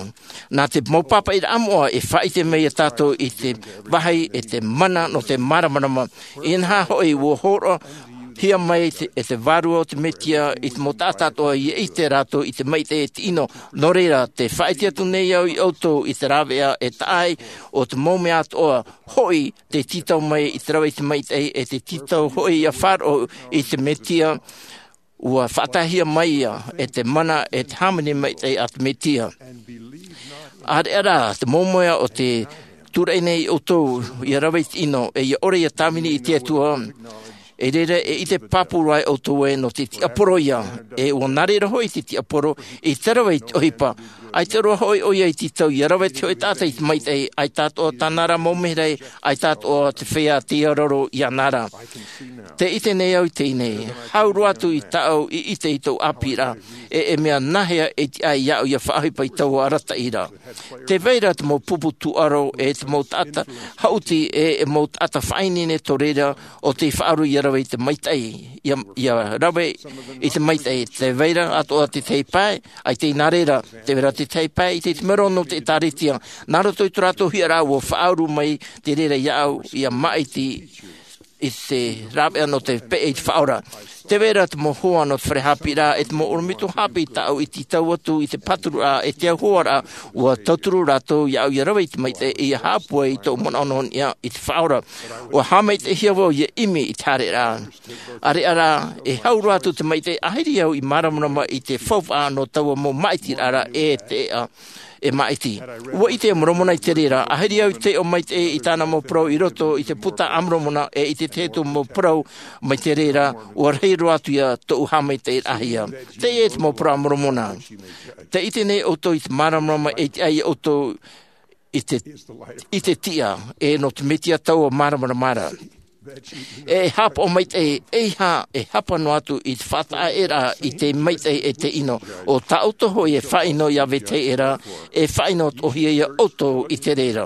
Nā te mau pāpaʻiraʻa moʻa e faʻaʻite mai ia tātou i te vāhi e te mana nō te māramarama. Inaha hoʻi, ua hōroʻahia mai te, e te Vārua o te Mesia i te mau taʻata atoʻa ia ʻite rātou i te maitaʻi e te ʻino. Nō reira, tē faʻaʻite atu nei au ia ʻoutou i te rāveʻa e taʻa ai o te mau mea atoʻa hoʻi tē tītau mai i te rave i te maitaʻi, e tē tītau hoʻi ia faʻaroʻo i te Mesia, ua faʻataehia mai ia e te mana e te hāmani maitaʻi a te Mesia. ʻAreʻa rā te mau mea o tē tūraʻi nei ia ʻoutou ia rave i te ʻino, e ia ʻore ia tāvini i te Atua, e reira e ʻite pāpū roa ia ʻoutou ē nō te tiaporo ia, e ua nā reira hoʻi te tiaporo i te rave i te ʻohipa. ʻAita roa hoʻi ʻoia i tītau ia rave te hōʻē taʻata i te maitaʻi, ʻaita atoʻa tāna ra mau mehera, ʻaita atoʻa te feiā tei ʻaroʻaro iāna ra. Tē ʻite nei au i teie nei, hau roa atu i tāʻu i ʻite i tōʻu ʻāpīraʻa, e, e mea nāhea e tiʻa ai iāʻu ia faʻaʻohipa i taua arataʻi ra. Tē vai ra te mau pupu tūʻaro e te mau taʻata haʻuti e, e mau taʻata faʻaineine tō reira o tei faʻaroʻo ia rave i te maitaʻi, ia, ia rave i te maitaʻi. Tē vai ra atoʻa te tahi pae, ʻaita i nā reira, tē vai ra te tahi pae i te, te mero nō te ʻĒtārētia. Nā roto i tō rātou hiʻoraʻa ua faʻauru mai te reira iāʻu ia māʻiti i te rāveʻa nō te peʻe i te Faʻaora. Tē vai ra te mau hoa nō te fare haʻapiʻiraʻa e te mau ʻorometua haʻapiʻi tāʻu i tītau atu i te pātururaʻa e te auhoaraʻa, ua tauturu rātou iāʻu ia rave i te maitaʻi e ia haʻapūai i tōʻu manaʻo nō niʻa i te Faʻaora. Ua haʻamaitaʻihia vau ia ʻimi i te haereraʻa. ʻAreʻa rā, e hau roa atu te maitaʻi, ʻaita au i māramarama i te faufaʻa nō taua mau māʻitiraʻa ra e te ʻeʻa e māʻiti. Ua ʻite Moromona i te reira, ʻaita au i taiʻo maitaʻi i tāna mau parau i roto i te Buka a Moromona e i te tahi atu mau parau mai te reira, ua rahi roa atu ia tōʻu haʻamaitaʻiraʻahia. Teie te mau parau a Moromona. Tē ʻite nei ʻoutou i te māramarama e tiʻa ai ʻoutou i te, i te tiʻa, e nō te Mesia taua māramarama ra. E haʻapaʻo maitaʻi, ʻeiaha e hapa noa atu i te faʻataʻaeraʻa i te maitaʻi e te ʻino, ʻo tā ʻoutou hoʻi e faʻaʻino i te vetahi ra, e faʻaʻino atoʻahia ia ʻoutou i te reira.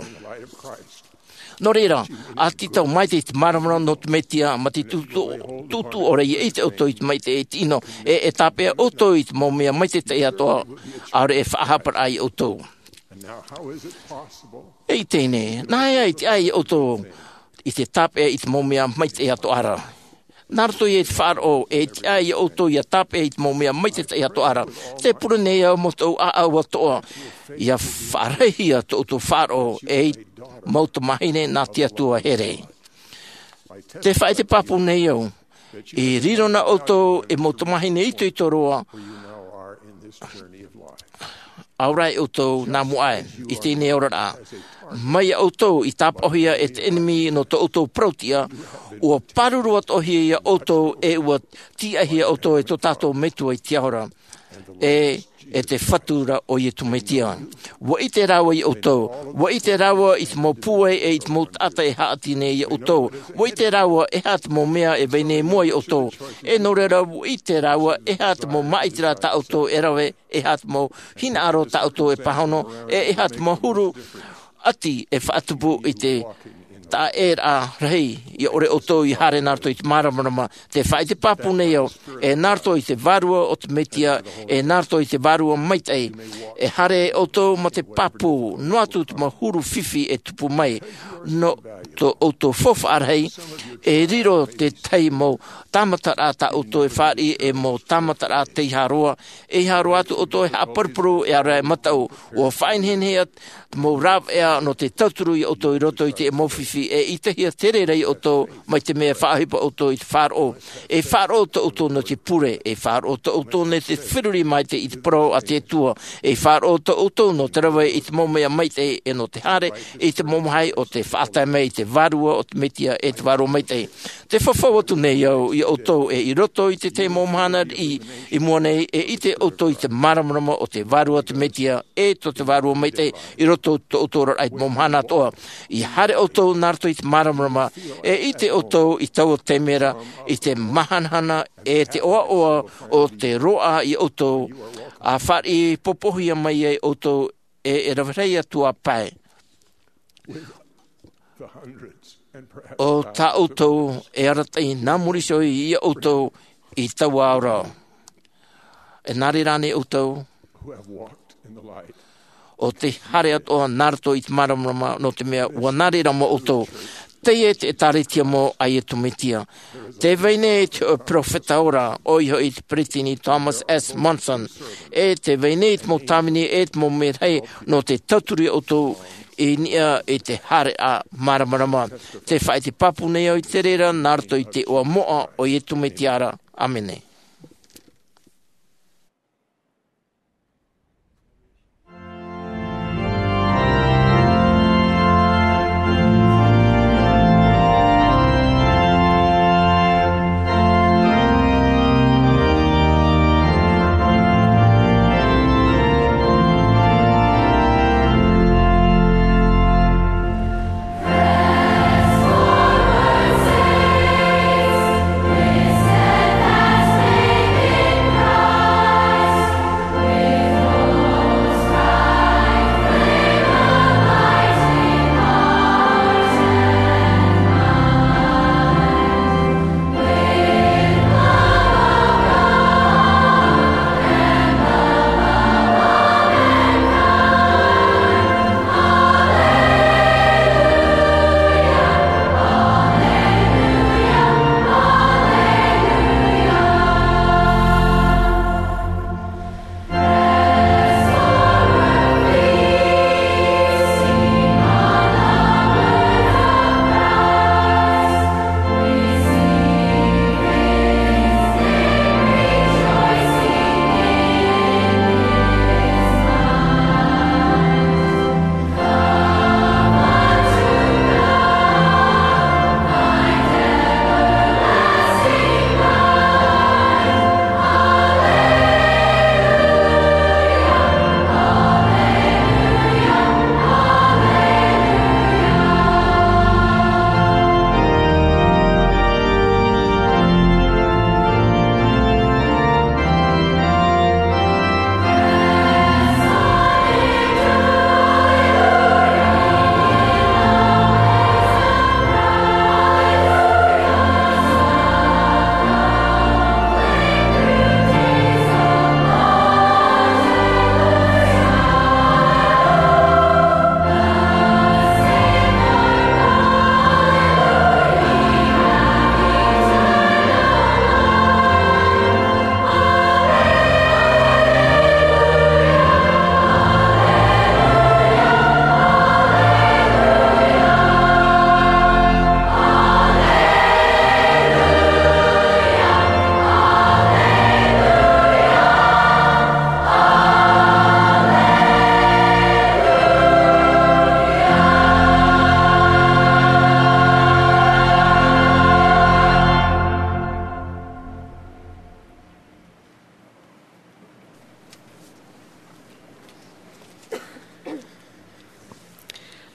Nō reira, ʻa tītau maitaʻi i te māramarama nō te Mesia, mā te tūtū, tūtū ʻore ia ʻite ʻoutou i te maitaʻi e te ʻino, e, e tāpeʻa ʻoutou i te mau mea maitaʻi atoʻa, ʻaore e faʻahaparaʻa ia ʻoutou. E i teie nei, nāhea e tiʻa ai ʻoutou i te tāpeʻa i te mau mea maitaʻi atoʻa ra? Nā roto i te faʻaroʻo, e tiʻa ai ʻoutou ia tāpeʻa i te mau mea maitaʻi atoʻa ra. Tē pure nei au mau tōʻu ʻāʻau atoʻa, ia faʻarahihia tō ʻoutou faʻaroʻo ei mau tamāhine nā te Atua here. Tē faʻaʻite pāpū nei au, i riro na ʻoutou ei mau tamāhine itoito roa, ʻaore rā ʻoutou nā mua aʻe i teie nei oraraʻa. Mai ia ʻoutou i tāpaʻohia e te ʻenemi nō tō ʻoutou parau-tiʻa, ua pāruru atoʻahia ia ʻoutou e ua tīaʻihia ʻoutou e tō tātou Metua i te ao ra, e, e te Fatu ra ʻo Iesu Mesia. Ua ʻite rāua ia ʻoutou, ua ʻite rāua i te mau pūai e i te mau taʻata e haʻati nei ia ʻoutou. Ua ʻite rāua e aha te mau mea e vai nei i mua ia ʻoutou. E nō reira, ua ʻite rāua e aha te mau māʻitiraʻa tā ʻoutou e rave, e aha te mau hinaʻaro tā ʻoutou e pāhono, e, e aha te mau huru ʻati e faʻatupu i te taʻaʻēraʻa rahi, ia ʻore ʻoutou ia haere nā roto i te māramarama. Tē faʻaʻite pāpū nei au, e nā roto i te Vārua o te Mesia, e nā roto i te Vārua Maitaʻi, e haere ʻoutou mā te pāpū, noa atu te mau huru fifi e tupu mai, nō tō ʻoutou faufaʻa rahi, e riro te tahi mau tāmataraʻa tā ʻoutou e fāriʻi, e mau tāmataraʻa tei haroa, e haroa atu ʻoutou e haʻaparupuru, e ʻaore e mataʻu, ua faʻaineine atu te mau rāveʻa nō te tauturu ia ʻoutou i roto i te mau fifi, e ʻitehia te reira ia ʻoutou, mai te mea e faʻaʻohipa ʻoutou i te faʻaroʻo. E faʻaroʻo tō ʻoutou nō te pure, e faʻaroʻo tō ʻoutou nō te feruri maitaʻi i te parau a te Atua, e faʻaroʻo tō ʻoutou nō te rave i te mau mea maitaʻi, e nō te haere i te mau vāhi o te faʻatae mai i te Vārua o te Mesia e te Vārua Maitaʻi. Tē fafau atu nei au ia ʻoutou, e i roto i te tahi mau mahana riʻi i mua nei, e ʻite ʻoutou i te māramarama o te Vārua o te Mesia, e tō te Vārua Maitaʻi, i roto i tō ʻoutou oraraʻa i te mau mahana atoʻa. ʻIa haere ʻoutou nā roto i te māramarama, e ʻite ʻoutou i taua taime ra, i te māhanahana, e te ʻoaʻoa o te roaʻa ia ʻoutou, ʻa fāriʻi popohia mai ai ʻoutou, e, e rave rahi atu ā pae. ʻO tā ʻoutou e arataʻi nā muri iho ia ʻoutou, i taua ao ra. E nā reira nei ʻoutou, ʻo te haere atoʻa nā roto i te māramarama, nō te mea ʻua nā reira mau ʻoutou. Teie te ʻĒtārētia mau a Iesu Mesia. Tē vai nei te hōʻē perofeta ora, ʻoia hoʻi te peresideni Thomas S. Monson, e tē vai nei te mau tāvini e te mau merahi nō te tauturu ia ʻoutou i niʻa i te haere a māramarama. Tē faʻaʻite pāpū nei au i te reira nā roto i te iʻoa moʻa o Iesu Mesia ra. ʻĀmene.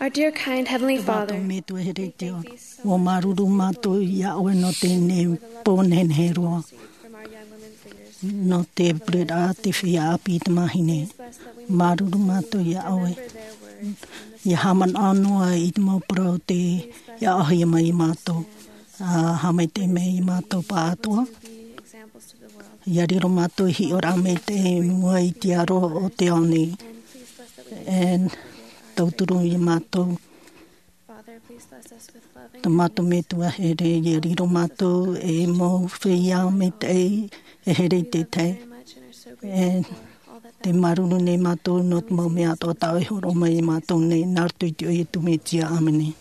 Our dear, kind Heavenly Father, Metua here i te ao, ua māuruuru mātou iā ʻoe nō teie nei pō nehenehe roa, nō te pureraʻa a te feiā ʻāpī i te mahine. Māuruuru mātou iā ʻoe. ʻIa haʻamanaʻo noa i te mau parau tē ʻaʻohia mai iā mātou, ʻa haʻamaitaʻi mai iā mātou pāʻatoʻa. ʻIa riro mātou ei hiʻoraʻa maitaʻi i mua i te aro o te ao nei. E tauturu iā mātou. Tō mātou Metua here, ʻia riro mātou ei mau feiā maitaʻi e here i te tahi. E tē māuruuru nei mātou nō te mau mea atoʻa tā ʻoe i hōroʻa mai iā mātou nei, nā roto i te iʻoa o Iesu Mesia, ʻāmene.